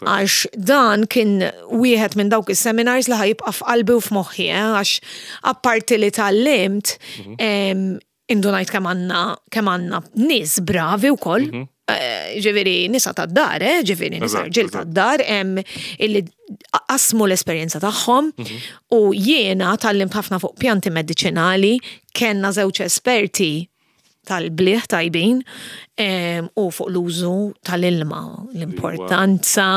Għax dan kien wieħed minn dawk is-seminars li ħajibqa' f'qalbi u f'moħħi, eh, għax apparti li tal-limt, mhm. Indunajt kemm għandna kemm għandna nies bravi wkoll. Mhm. Eh, ġifieri nisa tad-dar, eh, ġifieri nisa rġiel tad-dar illi qasmu l-esperjenza tagħhom mhm. u jiena tallimt ħafna fuq pjanti mediċinali, kellna żewġ esperti tal-bliħ tajbin u fuq l-użu tal-ilma, l-importanza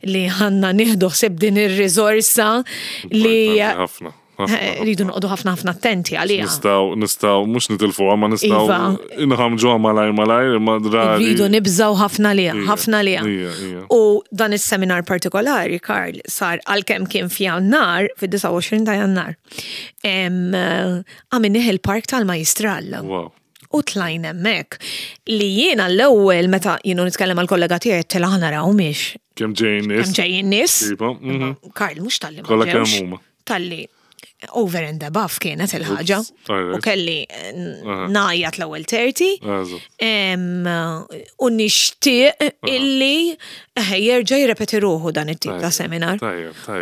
li għanna nieħdu ħsieb din ir-riżorsa li ħafna. Eh, rridu noqogħdu ħafna ħafna attenti għaliha. Nistgħu nistgħu mhux nitilfuha ma nistgħu iva. inħamġuha malajr malajr imma drabi. Rridu nibżgħu ħafna liha, ħafna liha. U dan is-seminar partikolari, Karl, sar għalkemm kien f'Jannar, fid-29 ta' Jannar. Għamilnih il-Park tal-Majistral. U tlajn hemmhekk li jiena l-ewwel meta jienu nitkellem għal kollega tiegħi tela ħa naraw miex. Kemm ġejjin nies. Kemm ġejjin nies. Mhm. Karl mhux talli. Kollha kemm huma. Talli over and above kienet il-ħaġa. U kelli eh, najjat l-ewwel 30. U nixtieq illi eh, jerġa' jirrepeti ruħu dan it-tip ta' seminar.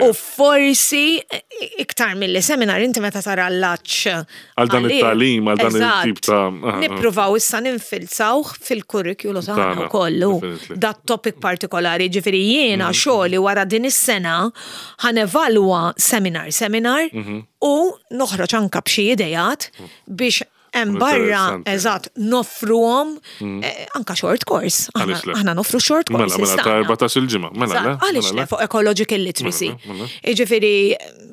U forsi eh, iktar mill-li seminar inti meta tara l-laċ. Għal dan it-talim, għal dan it-tip ta' Nippruvaw issa ninfilzawh fil-kurrikulu tagħna wkoll. Dat topic partikolari, ġifieri jiena mm. xogħli wara din is-sena Ħa nevalwa seminar seminar mhm. u noħroġ anka b'xi idejat biex hemm barra eżatt noffruhom mm. eh, anka short course. Aħna noffru short course. Mela, mela ta' 14 il-ġimgħa. Mela, mela għaliex le fuq ecological literacy. Mela, mela. Jiġifieri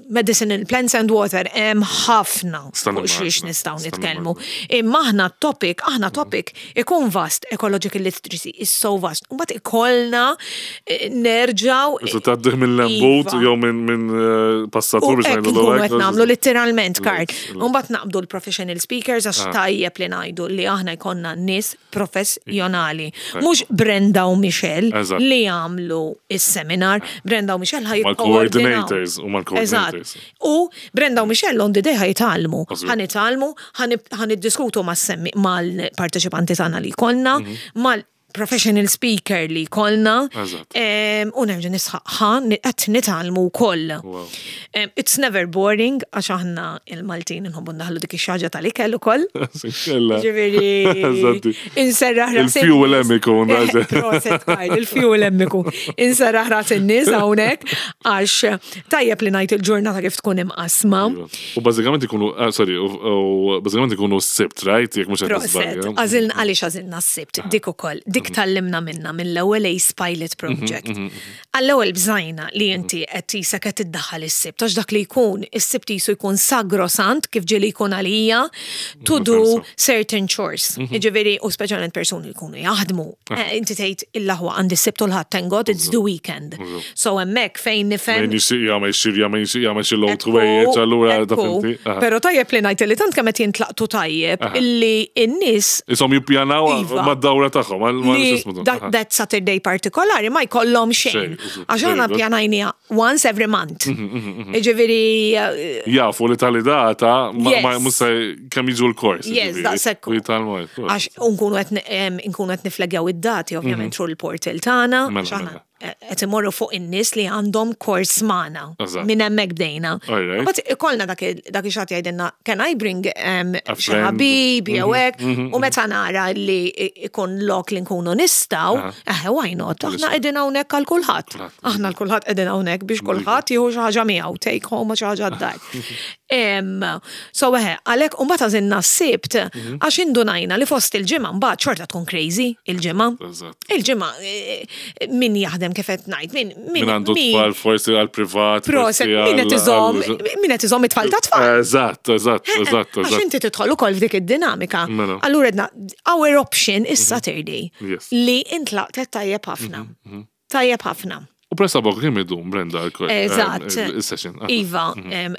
medicinal plants and water hemm ħafna fuq xiex nistgħu nitkellmu. Imma aħna topic, aħna mm. topic Ikun vast, ecological literacy is so vast. U mbagħad ikollna eh, nerġaw. Isu tgħaddih minn lembut iva. jew minn eh, passatur biex ngħidu l qed nagħmlu litteralment kart. U mbagħad naqbdu l-professional speakers għax ah. tajjeb li ngħidu li aħna jkollna nies professjonali. Mhux Brenda u Michelle li jagħmlu is-seminar. Brenda u Michelle ħaj coordinators u mal-coordinators. U Brenda u Michelle on the day ħa jitgħallmu. Ħa nitgħallmu, ħa niddiskutu mal-parteċipanti tagħna li jkollna, mhm. mal professional speaker li jkollna. Eżatt. U nerġa' nisħaq ħa qed nitgħallmu wkoll. Wow. It's never boring għax aħna il-Maltin nħobbu ndaħlu dik ix-xaġa tal-ikel ukoll. Kella. Ġifieri Eżatti. inserraħ ras Il-fuel hemm ikun, Eh, Proset, Karl, il-fuel hemm ikun. Inserraħ ras in-nies hawnhekk għax tajjeb li ngħid il-ġurnata kif tkun imqasma. Iva. U bażikament ikunu, ah, sorry, u bażikament ikunu s-sibt, right? Jekk mhux qed Proset, nisbalja. għażilna għaliex għażilna s-sibt, dik ukoll, dik tallimna minna mill-ewwel Ace Pilot Project. Għall-ewwel bżajna li inti qed tisek qed iddaħħal is-sibt, għax dak li jkun is-sibt jisu jkun sagrosant kif ġieli jkun għalija to do certain chores. Jiġifieri u speċjalment persuni li jkunu jaħdmu. Inti tgħid il-laħwa għandi s-sibt u l-ħadd thank God it's the weekend. So hemmhekk fejn nifhem Min jixtieq jagħmel xirja, min jixtieq jagħmel xi load Ekku, wejjeġ, allura ta' ekku. finti. Aha. Pero tajjeb li ngħid li tant kemm qed jintlaqtu tajjeb illi n-nies Isom jippjanaw Iva. mad-dawra tagħhom, għal ma li x'ismu dan. that, Aha. that Saturday partikolari ma jkollhom xejn. Xejn, użu. Għax Very aħna good. Mhm, pjanajnija once every month. Jiġifieri eh, Jafu li tali data ma Yes. ma mhux se kemm jiġu l-kors. Yes, jiġifieri. daqshekk. U jitgħallmu hekk. għax nkunu qed nkunu qed niflagjaw id-dati ovvjament through il-portal tagħna. Mhm. Mela, għax aħna mela. qed imorru fuq in-nies li għandhom kors magħna. Eżatt. Minn hemmhekk bdejna. All right. Mbagħad ikollna dak il- dak ix-xatt jgħidilna can I bring A xi friend." ħabib jew Mhm, hekk u meta nara li ikun lok li nkunu nistgħu, eh why not? Aħna qegħdin hawnhekk għal kulħadd. Kulħadd. Aħna l kulħadd qegħdin hawnhekk biex kulħadd jieħu xi ħaġa miegħu, take home xi ħaġa d-dar. So eħe, għalhekk u mbagħad għażilna s-sibt Mhm. għax indunajna li fost il-ġimgħa mbagħad xorta tkun crazy il-ġimgħa. Eżatt. Il-ġimgħa eh, min jaħdem kif qed ngħid, min Min għandu tfal forsi għal-privat. Proset, forsi min qed għal- iżomm, għal- min qed iżomm it-tfal ta' tfal. Eżatt, eżatt, eżatt, Għax eżatt. inti tidħol ukoll f'dik id-dinamika. Mela. Allura edna, our option is Saturday. Yes. Mhm, Li intlaqtet tajjeb ħafna. Tajjeb ħafna. U pressa bok kemm idum, Brenda, għal-kors. Eżatt. Il-session. Ah. Iva,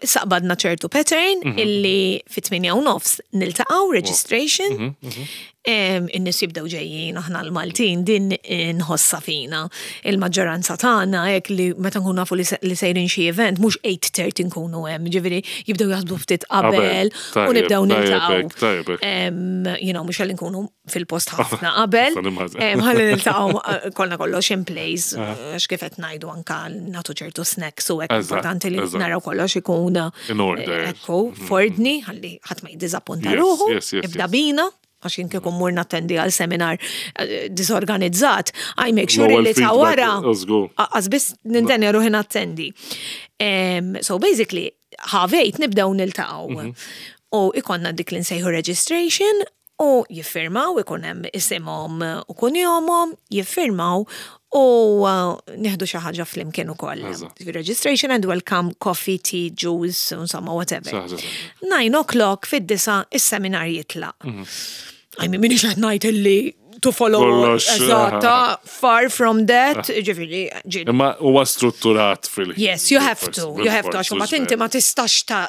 saqbadna ċertu pattern illi fit-8 u nofs niltaqgħu registration. Mhm, In-nies jibdew ġejjin aħna l-Maltin din nħossa fina. Il-maġġoranza tagħna hekk li meta nkunu nafu li li sejrin xi event mhux 8:30 nkunu hemm, ġifieri jibdew jaħsbu ftit qabel u Tajjeb, nibdew tajjeb niltaqgħu. hekk, tajjeb hekk. You know, mhux għalli nkunu fil-post ħafna qabel. Nista' nimmaġina. Ħalli niltaqgħu kollna kollox in place, għax kif qed ngħidu anka nagħtu ċertu snacks u hekk Eżatt, importanti li eżatt. naraw kollox ikun In order. eh, Ekku, fordni, ħalli ħadd ma jiddiżappunta Yes, ruħu, yes, yes, ibda yes. bina, għax jien kieku mmur nattendi għal seminar eh, disorganizzat, I make sure L-ewwel li ta' feedback, wara. let's go. Għaz biss nintenja ruħi nattendi. So basically, ħavejt nibdew niltaqgħu. Mhm. U ikonna dik li nsejħu registration u jiffirmaw, ikun hemm isimhom u kunjomhom, jiffirmaw u nieħdu xi ħaġa flimkien ukoll. Eżatt. Registration and welcome coffee, tea, juice, insomma, whatever. Xi ħaġa saħħa. 9 o'clock fid-disa is-seminar jitlaq. I mean, minix qed ngħid illi to follow Kollox, eżatta, far from that, ġifieri, ġieli. Imma huwa strutturat fil Yes, you have to, you have to, għax mbagħad inti ma tistax ta'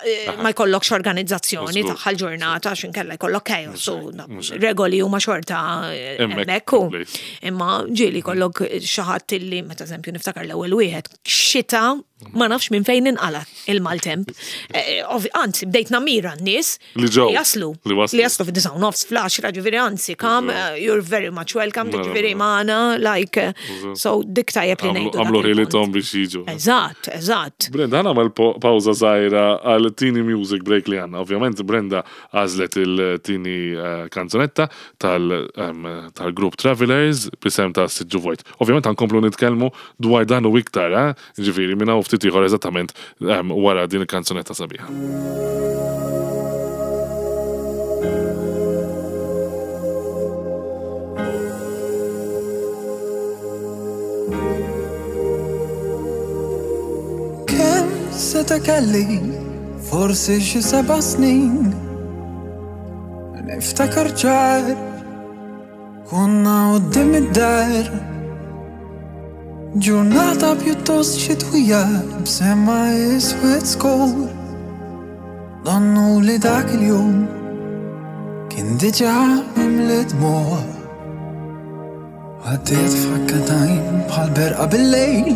ma jkollokx organizzazzjoni Żgur. tagħha l-ġurnata għax inkella jkollok chaos u mhux hekk. regoli huma xorta eh, Hemmhekk, hemmhekk u. in place. Imma ġieli jkollok xi ħadd illi meta eżempju niftakar l-ewwel wieħed xita ma nafx minn fejn inqala il-maltemp. Eh, Anzi, bdejt namira n-nies Li ġew. jaslu. Li waslu. Li jaslu fid-disa u nofs fl-10, ġifieri anzi, kam, eh, you're very much welcome, Mela, ġifieri mela. magħna, like, eh, so dik tajjeb li ngħidu. dak Għamlu il-punt. ħilithom biex jiġu. Eżatt, eżatt. Brenda, ħana għamel pawza zaħira għal tini music break li għanna. Ovvjament, Brenda għazlet il-tini eh, kanzunetta tal-grupp Travelers bisem ta' Siġġu Vojt. Ovvjament, għankomplu nitkelmu dwar dan u iktar, eh? ġifiri, minna u ftit ieħor eżattament wara din il-kanzunetta sabiħa. Kemm seta' kelli forsi xi seba' snin Niftakar ċar konna quddiem id-dar Ġurnata pjuttost xitwija b'sema iswed skur Donnu li dak il-jum kien diġà mimli dmugħ. Għaddiet f'ħakka t'għajn bħal berqa bil-lejl,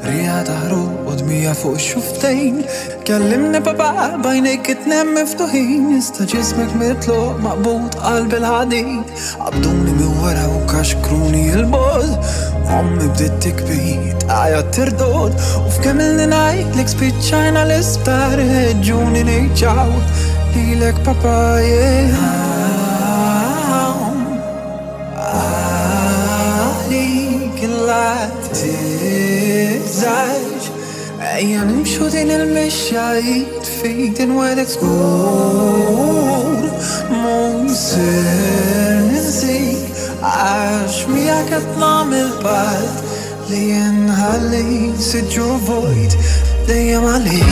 riħa ta' ħruq u dmija fuq ix-xufftejn. Kellimni papà b'għajnejk it-tnejn miftuħin, iżda ġismek mitluq maqbud qalb il-ħadid. Qabduni minn wara u kaxkruni 'l bogħod, ommi bdiet tikbi, tgħajjat tirdod, u f'kemm ilni ngħidlek spiċċajna l-isptar, ħeġġuni ngħid ċaw lilek papà yeah. Għalik la tibżax Ejja nimxu din il-mixja id f'id inwegħdek żgur Mhux ser ninsik Għax miegħek qed nagħmel patt Li nħalli siġġu vojt dejjem għalik.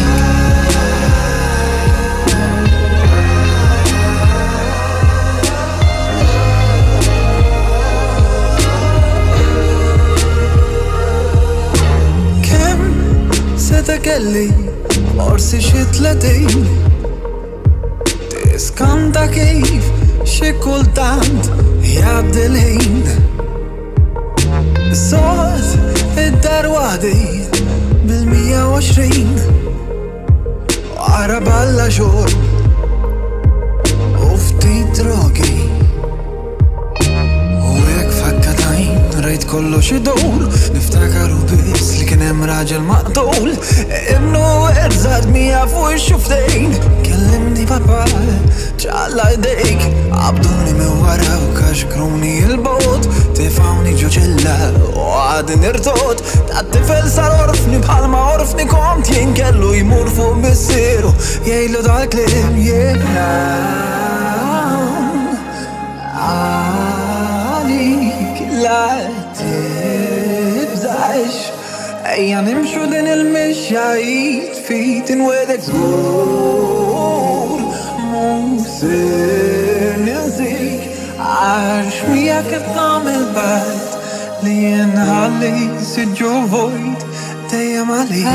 Kemm seta' kelli forsi xi 30 Tiskanta kif xi kultant jgħaddi l-ħin Soqt id-dar waħdi bil-120 Wara balla xorb u ftit drogi U hekk f'ħakka t'għajn rajt kollox idur Niftakar u biss li kien hemm raġel maqtul Ibnu eżatt mija fuq ix-xuftejn Kellimni papà Ċalla jdejk, qabduni minn wara u kaxkruni 'l bogħod, tefgħuni ġo ċella u għadni nirtod, dat-tifel sar orfni bħalma orfni kont jien kellu jmur fuq missieru jgħidlu dal-kliem jien għalik la tibżax Ejja nimxu din il-mixja id f'id inwegħdek żgur mhux se ninsik għax miegħek qed nagħmel patt li nħalli siġġu vojt dejjem għalik.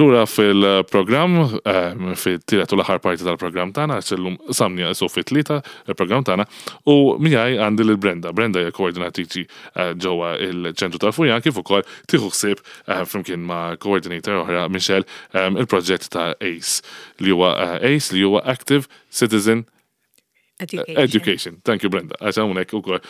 Lura fil-programm, ehm, fit-tielet u l-aħħar parti tal-programm tagħna, għax illum samni għasu fit-tlieta il-programm tagħna, u miegħi għandi lil Brenda. Brenda hija koordinatriċi eh, ġewwa il-ċentru tal-Furjan kif ukoll tieħu ħsieb eh, flimkien ma' coordinator oħra Michelle ehm, il-proġett ta' ACE li huwa eh, ACE li huwa Active Citizen Education. Education. Thank you, Brenda. Għax hawnhekk ukoll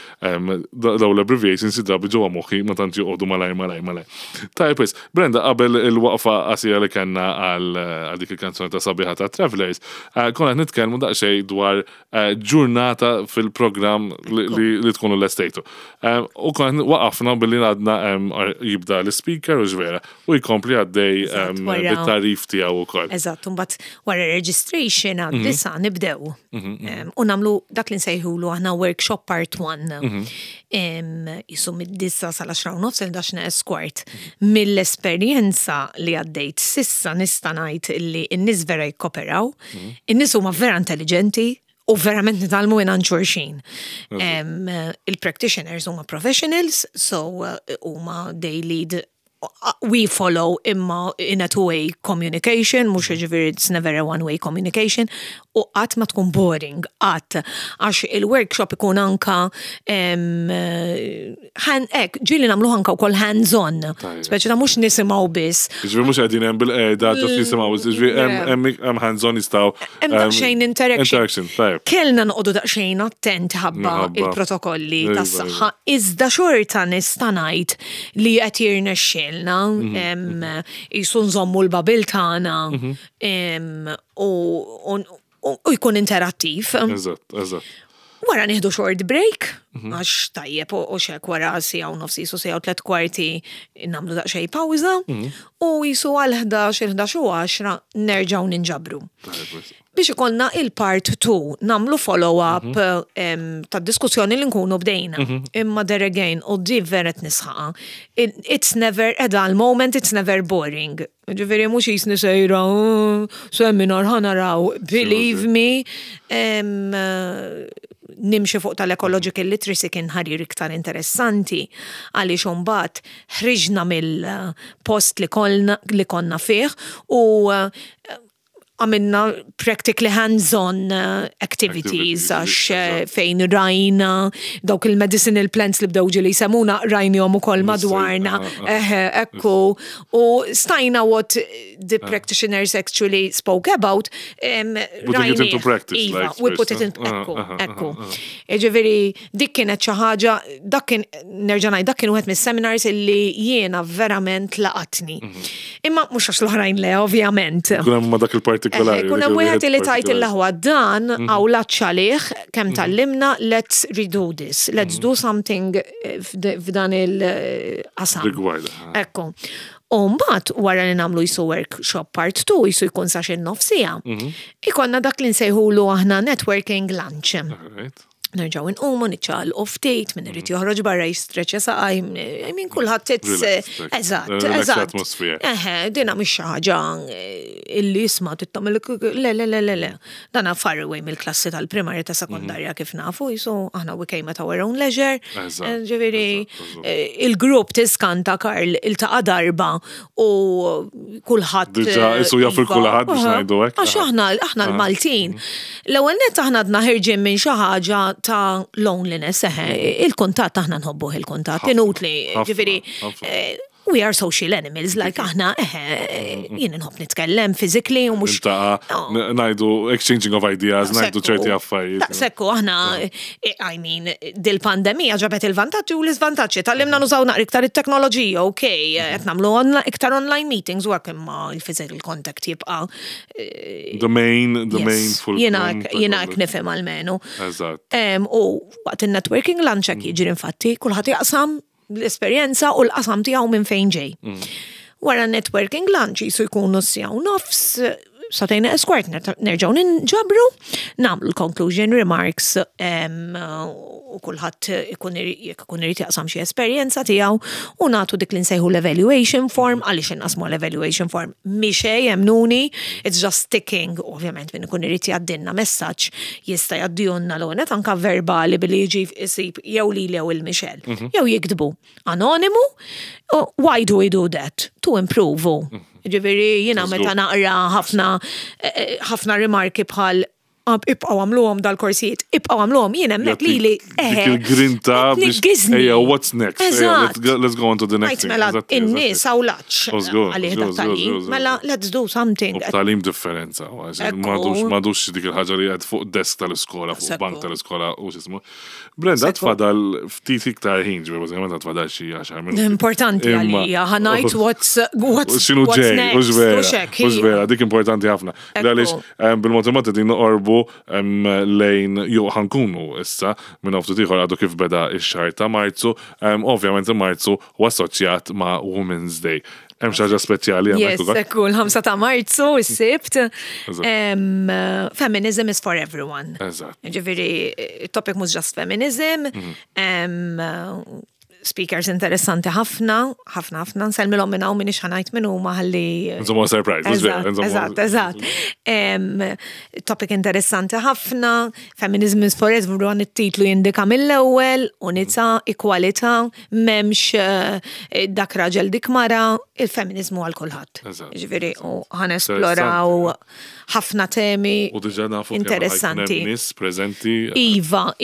daw l-abbreviations xi drabi ġewwa moħħi ma tantx joqogħdu malajr malajr malajr. Tajjeb wis, Brenda qabel il-waqfa qasira li kellna għal dik il-kanzone ta' sabiħa ta' Travelers, eh, konna qed nitkellmu daqsxejn dwar eh, ġurnata fil-programm li tkunu lestejtu. Eh, u konna waqafna billi għadna jibda l-speaker u ġvera u jkompli għaddej bit-tarif tiegħu wkoll. Eżatt, mbagħad wara registration għad-disa nibdew. U nagħmlu dak li nsejħulu aħna workshop part 1. Jisu mid-disa sal-10 u nofs il-11 neqes kwart. Mill-esperjenza li għaddejt sissa nista' ngħid li n-nies vera jikkoperaw, in-nies huma vera intelligenti u verament nitgħallmu minn xulxin. Il-practitioners huma professionals, so huma they lead we follow imma in a two-way communication, mhux ġifieri it's never a one-way communication, u qatt ma tkun boring, qatt. Għax il-workshop ikun anka hekk, ġieli nagħmlu anka wkoll hands-on. Speċi ta' mhux nisimgħu biss. Ġifieri mhux qegħdin hemm bil-qegħda ġast nisimgħu, ġifieri hemm hands-on jistgħu. Hemm daqsxejn interaction. Interaction, tajjeb. Kellna noqogħdu daqsxejn attenti ħabba il-protokolli tas-saħħa, iżda xorta nista' ngħid li qed jirnexxielna jisu nżommu l-bubble tagħna u jkun interattiv. Eżatt, eżatt. Wara nieħdu short break, għax tajjeb u xek wara siegħa u nofs jisu siegħa u tlet kwarti nagħmlu daqsxejn pawża u jisu għal 11, il-11 u 10 nerġgħu ninġabru. Biex ikollna il-part 2 nagħmlu follow-up ta' diskussjoni li nkunu bdejna. Imma there again, u di vera nisħaqa. It's never a dull moment, it's never boring. Ġifieri mhux jisni sejra, "Oh, seminar ħa naraw. Believe me, nimxi fuq tal-ecological literacy kien ħarir iktar interessanti għaliex imbagħad ħriġna mill-post li konna fih u għamilna practically hands-on activities għax fejn rajna dawk il-medicinal plants li bdew ġili jsemmuna, rajnihom ukoll madwarna, eħe, ekku, u stajna what the practitioners actually spoke about. Putting it into practice. Iva, we put it in, ekku, ekku. Ġifieri, dik kienet xi ħaġa, dak kien, nerġa' ngħid, dak kien wieħed mis-seminars illi jiena verament laqatni. Imma mhux għax l-oħrajn le, ovvjament. Kun hemm dak il-partikolari. Kun hemm wieħed li tajt il-laħwa dan għaw għalih kemm tgħallimna, let's redo this, let's do something f'dan il-qasam. Rigward. Ekku. U mbagħad wara li nagħmlu jisu workshop part 2, jisu jkun sa xi nofs siegħa, ikollna dak li nsejħulu aħna networking lunch. Nerġaw nqumu, niċċaqalqu ftit, min irid joħroġ barra jistreċja saqaj, I mean, kulħadd it's Relax, eżatt, relax eżatt. atmosphere. Eħe, dina mhix xi ħaġa illi isma' tittamel, le, le, le, le, le. Dana far away mill-klassi tal-primarja, ta' sekondarja kif nafu, jisu aħna we came at our own leisure. Ġifieri, il-grupp tiskanta, Karl, iltaqa' darba u kulħadd Diġà isu jaf iva. il-kulħadd biex ngħidu hekk. Għax aħna l-Maltin. L-ewwel nett aħna għadna ħirġin minn xi ħaġa ta' loneliness, eħe, il-kuntatt aħna nħobbuh il-kuntatt, inutli, ġifieri, we are social animals, like aħna, eħe, jien nħobb nitkellem physically u mhux. Iltaqa', ngħidu exchanging of ideas, ngħidu ċerti affarijiet. Sekku, aħna, I mean, dil-pandemija ġabet il-vantaġġi u l-iżvantaġġi. Tgħallimna nużaw naqra iktar it-teknoloġija, ok, qed nagħmlu iktar online meetings u hekk, imma il-physical contact jibqa' The main full Jiena hekk nifhem almenu. U waqt il-networking lunch hekk jiġri infatti, kulħadd jaqsam l-esperjenza u l-qasam tiegħu minn fejn ġej. Wara networking lunch jisu jkunu siegħa u nofs, sagħtejn kwart, nerġgħu ninġabru, nagħmlu l-conclusion remarks u kulħadd ikun jekk ikun irid jaqsam xi esperjenza tiegħu u nagħtu dik li nsejħu l-evaluation form. Għaliex inqasmu l-evaluation form? Mhix jemnuni, it's just ticking, ovvjament min ikun irid jgħaddilna messaġġ jista' jgħaddihulna l anka verbali billi jiġi jsib jew li jew il-Michelle. Jew jiktbu anonimu. Why do we do that? To improve. Ġifieri, jiena meta naqra ħafna ħafna rimarki bħal "Ibqgħu għamluhom dal-korsijiet, ibqgħu għamluhom", jien hemmhekk li li Dik il-grinta biex Tniggizni. Ejja, what's next? Ejja, let's go on to the next thing. Mela, in-nies hawn-laċ Żgur, għalih żgur, dat tagħlim. żgur. Mela, let's do something. U b'tagħlim differenza, Ekku. M'għadux dik il-ħaġa li qed fuq desk tal-iskola, fuq bank tal-iskola u x'ismu. Brenda, tfadal ftit iktar ħin, ġifieri bażikament tfadal xi 10 minuti. Importanti għalija, ħa ngħid what's X'inhu what's ġej, next, hux vera, u xek, hux hija. vera, dik importanti ħafna. Għaliex bil-mod il-mod qegħdin noqorbu lejn, jew ħa nkunu issa minn ftit ieħor, għadu kif beda x-xahar ta' Marzu, ovvjament Marzu u assoċjat ma' Women's Day. Hemm xi ħaġa speċjali hemmhekk Yes, ukoll? ekku, l-5 ta' Marzu, is-Sibt. Feminism is for everyone. Ġifieri, topic mhux just feminism. Speakers interessanti ħafna, ħafna, ħafna, nsellmilhom minn hawn, m'iniex ħa ngħid minn huma ħalli. Insomma, surprise, hux vera, insomma. Eżatt. Topic interessanti ħafna, Feminism is for everyone, it-titlu jindika mill-ewwel, unità, ekwalità, m'hemmx dak raġel, dik mara, il-feminizmu għal kulħadd. Ġifieri, u ħa nesploraw ħafna temi U diġà nafu kemm ħa jkun hemm interessanti. nies preżenti. Iva,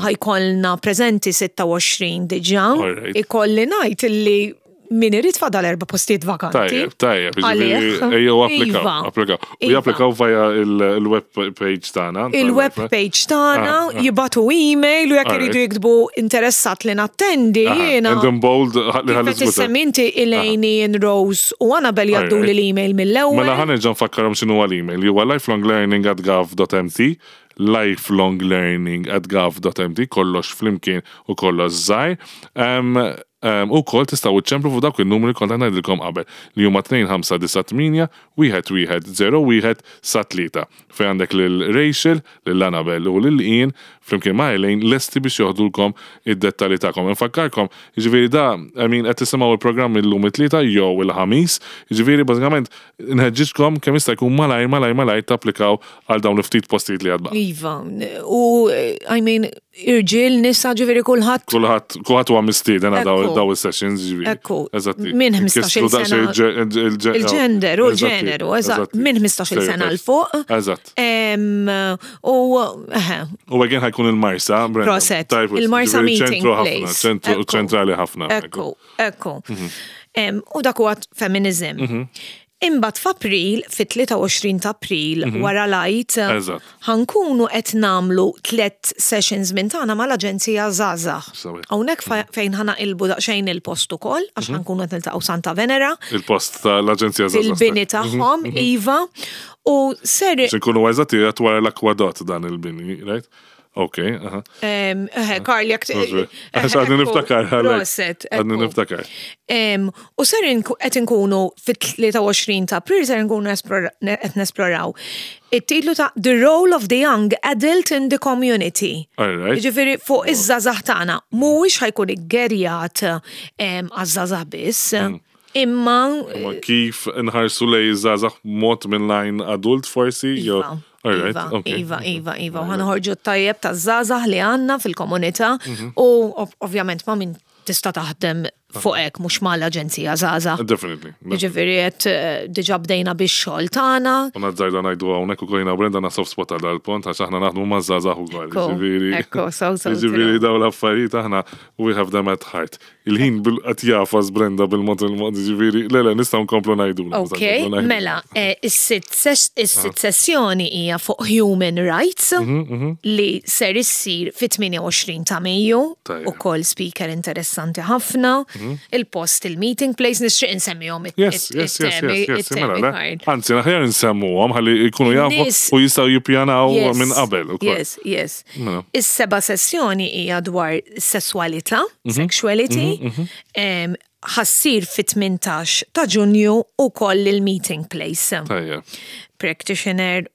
ħa jkollna preżenti 26 diġà. Ikolli ngħid illi min irid, fadal erba' postijiet vakanti. Tajjeb, Għalih. ġifieri, ejjew applikaw, applikaw. U japplikaw via il-web page tagħna. Il-web page tagħna, jibagħtu email u jekk iridu jiktbu "interessat li nattendi", jiena. And in bold, li ħalli Kif qed issemmi inti, Elaine and Rose u Annabel jgħaddu li l-email mill-ewwel. Mela ħa nerġa' nfakkarhom x'inhu l-email. Huwa lifelonglearning@gov.mt, lifelonglearning@gov.mt, kollox flimkien u kollox żgħir. Ukoll tistgħu iċċemplu fuq dawk in-numri li kont qed ngħidilkom qabel li huma 2598 1101 sa 3 fejn għandek lil Rachel, lil Annabelle u lil Ian flimkien ma' Elaine lesti biex joħdulkom id-dettalji tagħkom. Infakkarkom, jiġifieri da, I mean, qed tisimgħu l-programm illum it-Tlieta jew il-Ħamis, jiġifieri bażikament nħeġġiġkom kemm jista' jkun malajr malajr malajr tapplikaw għal dawn il-ftit postijiet li għad baqa'. Iva, u I mean, irġiel, nisa, ġifieri kulħadd. Kulħadd, kulħadd huwa mistieden għal daw daw is-sessions, ġifieri. Ekku. Eżatti. Minn 15-il sena. Il-ġender u l-ġeneru, eżatt. Minn 15-il sena 'l fuq. Eżatt. U U again ħajkun il-Marsa. Proset. Il-Marsa meeting place. Ċentru ċentrali ħafna. Ekku, ekku. Mhm. U dak huwa feminism. Mhm. Imbagħad f'April, fit-23 ta' April, wara l-Għid, ħa nkunu qed nagħmlu tlett sessions minn tagħna mal-Aġenzija Żgħażagħ. Hawnhekk fejn ħa naqilbu daqsxejn il-post ukoll, għax ħa nkunu qed niltaqgħu Santa Venera. Il-post tal-Aġenzija Żgħażagħ. Fil-bini tagħhom, iva. U ser. Biex inkunu eżatti, qiegħed wara l-akwadott dan il-bini, right? Ok, aha. Karl, jek. Għax għadni niftakar. Proset. Għadni niftakar. U ser qed inkunu fit-23 ta' April ser nkunu qed nesploraw it-titlu ta' The Role of the Young Adult in the Community. Ġifieri fuq iż-żgħażagħ tagħna mhuwiex ħajkun iggerjat għaż-żgħażagħ biss. Imma. Imma kif nħarsu lej iż-żgħażagħ mod minn lajn adult forsi? Iva. Iva, iva, iva, iva. U ħanħorġu t-tajjeb ta' żgħażagħ li għandna fil-komunità mhm. u ovvjament ma' min tista' taħdem fuq hekk mhux mal-aġenzija żgħażagħ. Definitely. Jiġifieri qed eh, diġà bdejna bix-xogħol tagħna. U nazzajda ngħidu hawnhekk ukoll jiena Brenda na soft spot għal dal-pont għax aħna naħdmu ma' żgħażagħ ukoll. Jiġifieri. Ekku, so so. Jiġifieri dawn l-affarijiet aħna we have them at heart. Il-ħin qed jafas Brenda bil-mod il-mod, ġifieri, le le nistgħu nkomplu ngħidu. Ok, mela, eh, is-sitt ah. sessjoni hija fuq Human Rights mhm, mhm. li ser issir fit-28 ta' Mejju ukoll speaker interessanti ħafna, mhm. il-post il-meeting place nixtieq insemmihom Yes, yes, yes, yes, mela, Anzi, aħjar nsemmuhom ħalli jkunu jafu u jistgħu jippjanaw minn qabel. Yes, yes. Mela. Is-seba' sessjoni hija dwar sesswalità, mhm. sexuality, mhm, mhm. ħassir fit-18 ta' Ġunju u koll il-meeting place. Practitioner,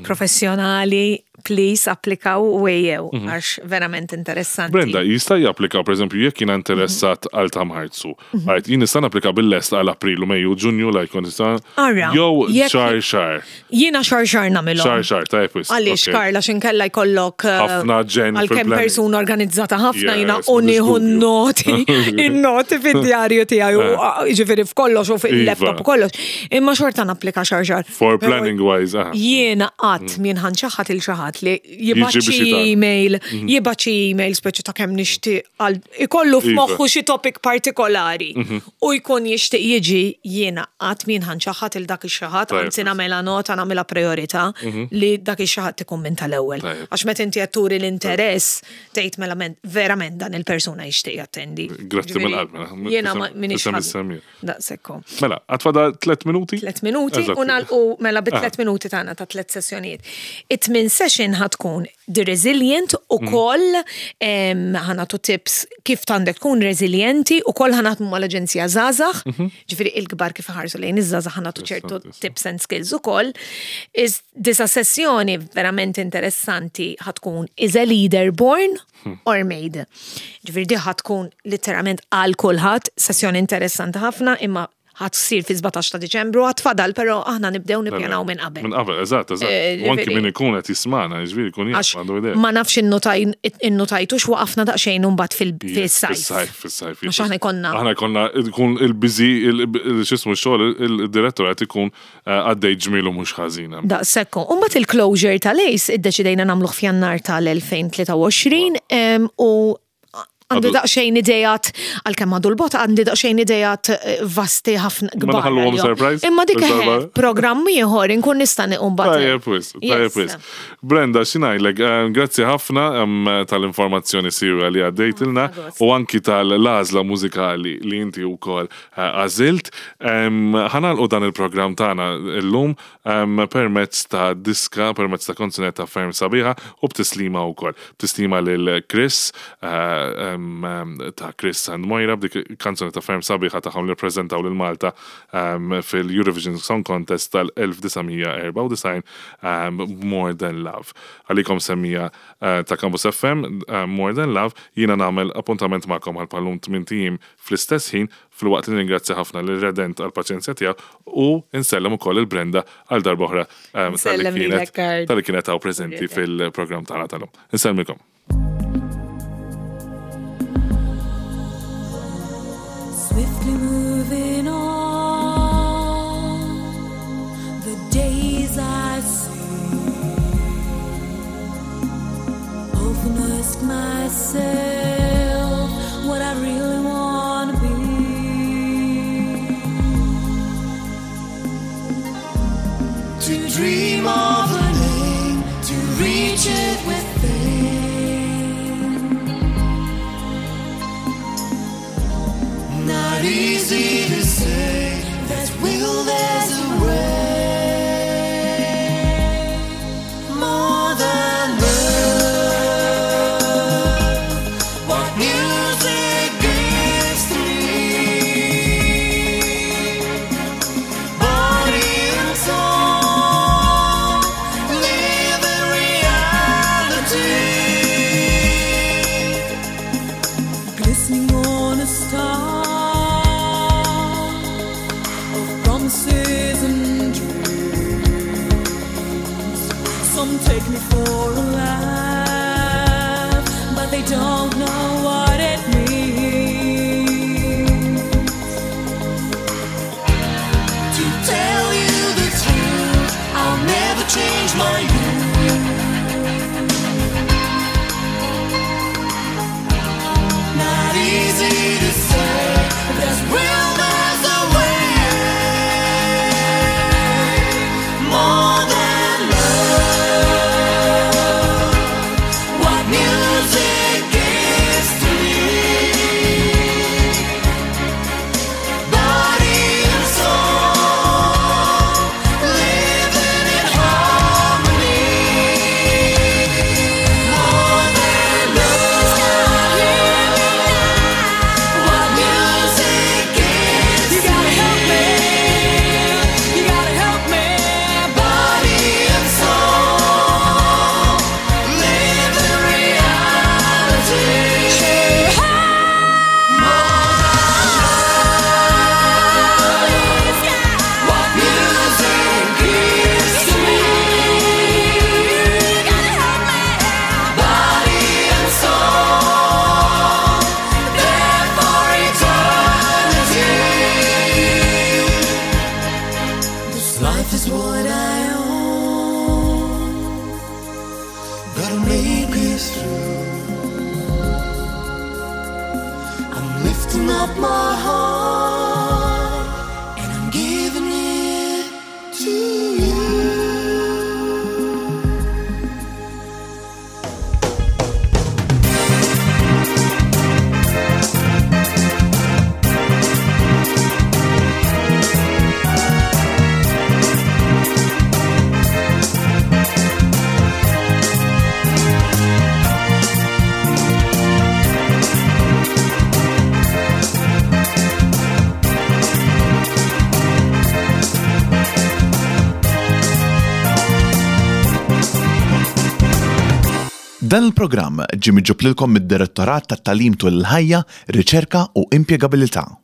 professjonali, please applikaw u ejjew, għax verament interessanti. Brenda, jista' japplika, per eżempju, jekk jiena interessat għal tamħarzu. Għajt, jien nista' napplika bil-lest għal April u Mejju, Ġunju, la jkun nista' Jew xahar xahar. Jiena xahar xahar nagħmilhom. Xahar xahar, tajjeb wisq. Għaliex Karl, għax inkella jkollok eh, ħafna ġen. Għalkemm persuna organizzata ħafna jiena u nieħu n-noti, in-noti fid-djarju tiegħi u eh. ah, jiġifieri f'kollox u fil-laptop u kollox. Imma xorta napplika xahar xahar. For planning wise, aha. Jiena qatt mm. min ħanċaħat il xi ħadd li jibgħat xi email, mhm. jibgħat xi email speċi ta' kemm nixtieq għal ikollu iva. f'moħħu xi topic partikolari. Mhm. u jkun jixtieq jiġi jiena qatt m'jien ħa nċaħħad 'il dak ix-xi ħadd, anzi nagħmilha nota, nagħmilha prijorità mhm. li dak ix-xi ħadd ikun minn tal-ewwel. Għax meta inti qed turi l-interess tgħid mela verament dan il-persuna jixtieq jattendi. Grazzi mill-qalb mela. Jiena minix Daqshekk. Mela, għad fadal tlet minuti? Tlet minuti u nagħlqu mela bi tlet ah. minuti tagħna ta' tlet sessjonijiet. It-tmien session ħa tkun The Resilient u mm. koll ħanatu tips kif tandek tkun resilienti u koll ħanatmu mal-Aġenzija Zazax, mhm. ġifiri il-kbar kif ħarsu lejn iż-żazax ħanatu ċertu tips and skills u koll. Disa sessjoni verament interessanti ħatkun is a leader born hmm. or made. Ġifiri di ħatkun literalment għal kulħadd, sessjoni interessanti ħafna imma Ħa tsir fi-17 ta' Diċembru, għad fadal, però aħna nibdew nippjanaw minn qabel. Minn qabel, eżatt, eżatt. Eh, U anki min ikun qed jismana, jiġifieri jkun jaf għandu idea. Ma nafx innutajtux waqafna daqsxejn imbagħad fil-sajf. Fis-sajf, fis-sajf. Għax aħna jkollna. Aħna jkollna jkun il-biżi, x'ismu x-xogħol, il-direttur qed ikun eh, għaddej ġmielu mhux ħażin. Daqshekk. U mbagħad il-closure tal-ACE iddeċidejna nagħmluh f'Jannar tal-2023 u Għandi daqsxejn idejat, għalkemm għadu l-bot, għandi daqsxejn idejat eh, vasti ħafna kbar. surprise. Imma dik eh, programm ieħor inkun nista' niequm bad. Tajjeb wis, tajjeb wis. Brenda, xi ngħidlek, eh, grazzi ħafna tal-informazzjoni sirja li għaddejtilna u anki tal-għażla mużikali li inti wkoll għażilt. Ħanalqu dan il-programm tagħna llum permezz ta' diska, permezz ta' kanzunetta ferm sabiħa u b'tislima wkoll. B'tislima lil Chris eh, ta' Chris and Moira b'dik kanzunetta ferm sabiħa tagħhom li ppreżentaw lil Malta fil-Eurovision Song Contest tal-1994 More Than Love. Għalikom semmija ta' Campus FM More Than Love, jiena nagħmel appuntament magħkom għal bħal-lum tmint ijiem fl-istess ħin filwaqt li nirringrazzja ħafna lil Redent għall-paċenzja tiegħu u nsellem ukoll lil Brenda għal darb'oħra Nsellem lilek Karl. Talli kienet hawn preżenti fil-programm tagħna tal-lum. Insellmilkom. Swiftly moving on, the days I see. Often ask myself what I really wanna be. To dream of a name, to reach it with fame. Not easy to say, there's will, there's a way. More than love, what music gives to me. Body and soul, live in reality. Glistening on a star of promises and dreams. Some take me for a laugh, but they don't know what it means. To tell you the truth, I'll never change my youth. Not easy to say, there's will, there's a way. More than love, what music gives to me. Body and soul, living in harmony. More than love, what music gives. You gotta help me. You gotta help me. Body and soul, live in reality. What music gives to me. Body and soul, there for eternity. This life is what I own. Better make it through. I'm lifting up my heart and I'm giving it to you. Dan il-programm ġie miġġub lilkom mid-Direttorat tat-Tagħlim tul il-Ħajja, Riċerka u Impjegabilità.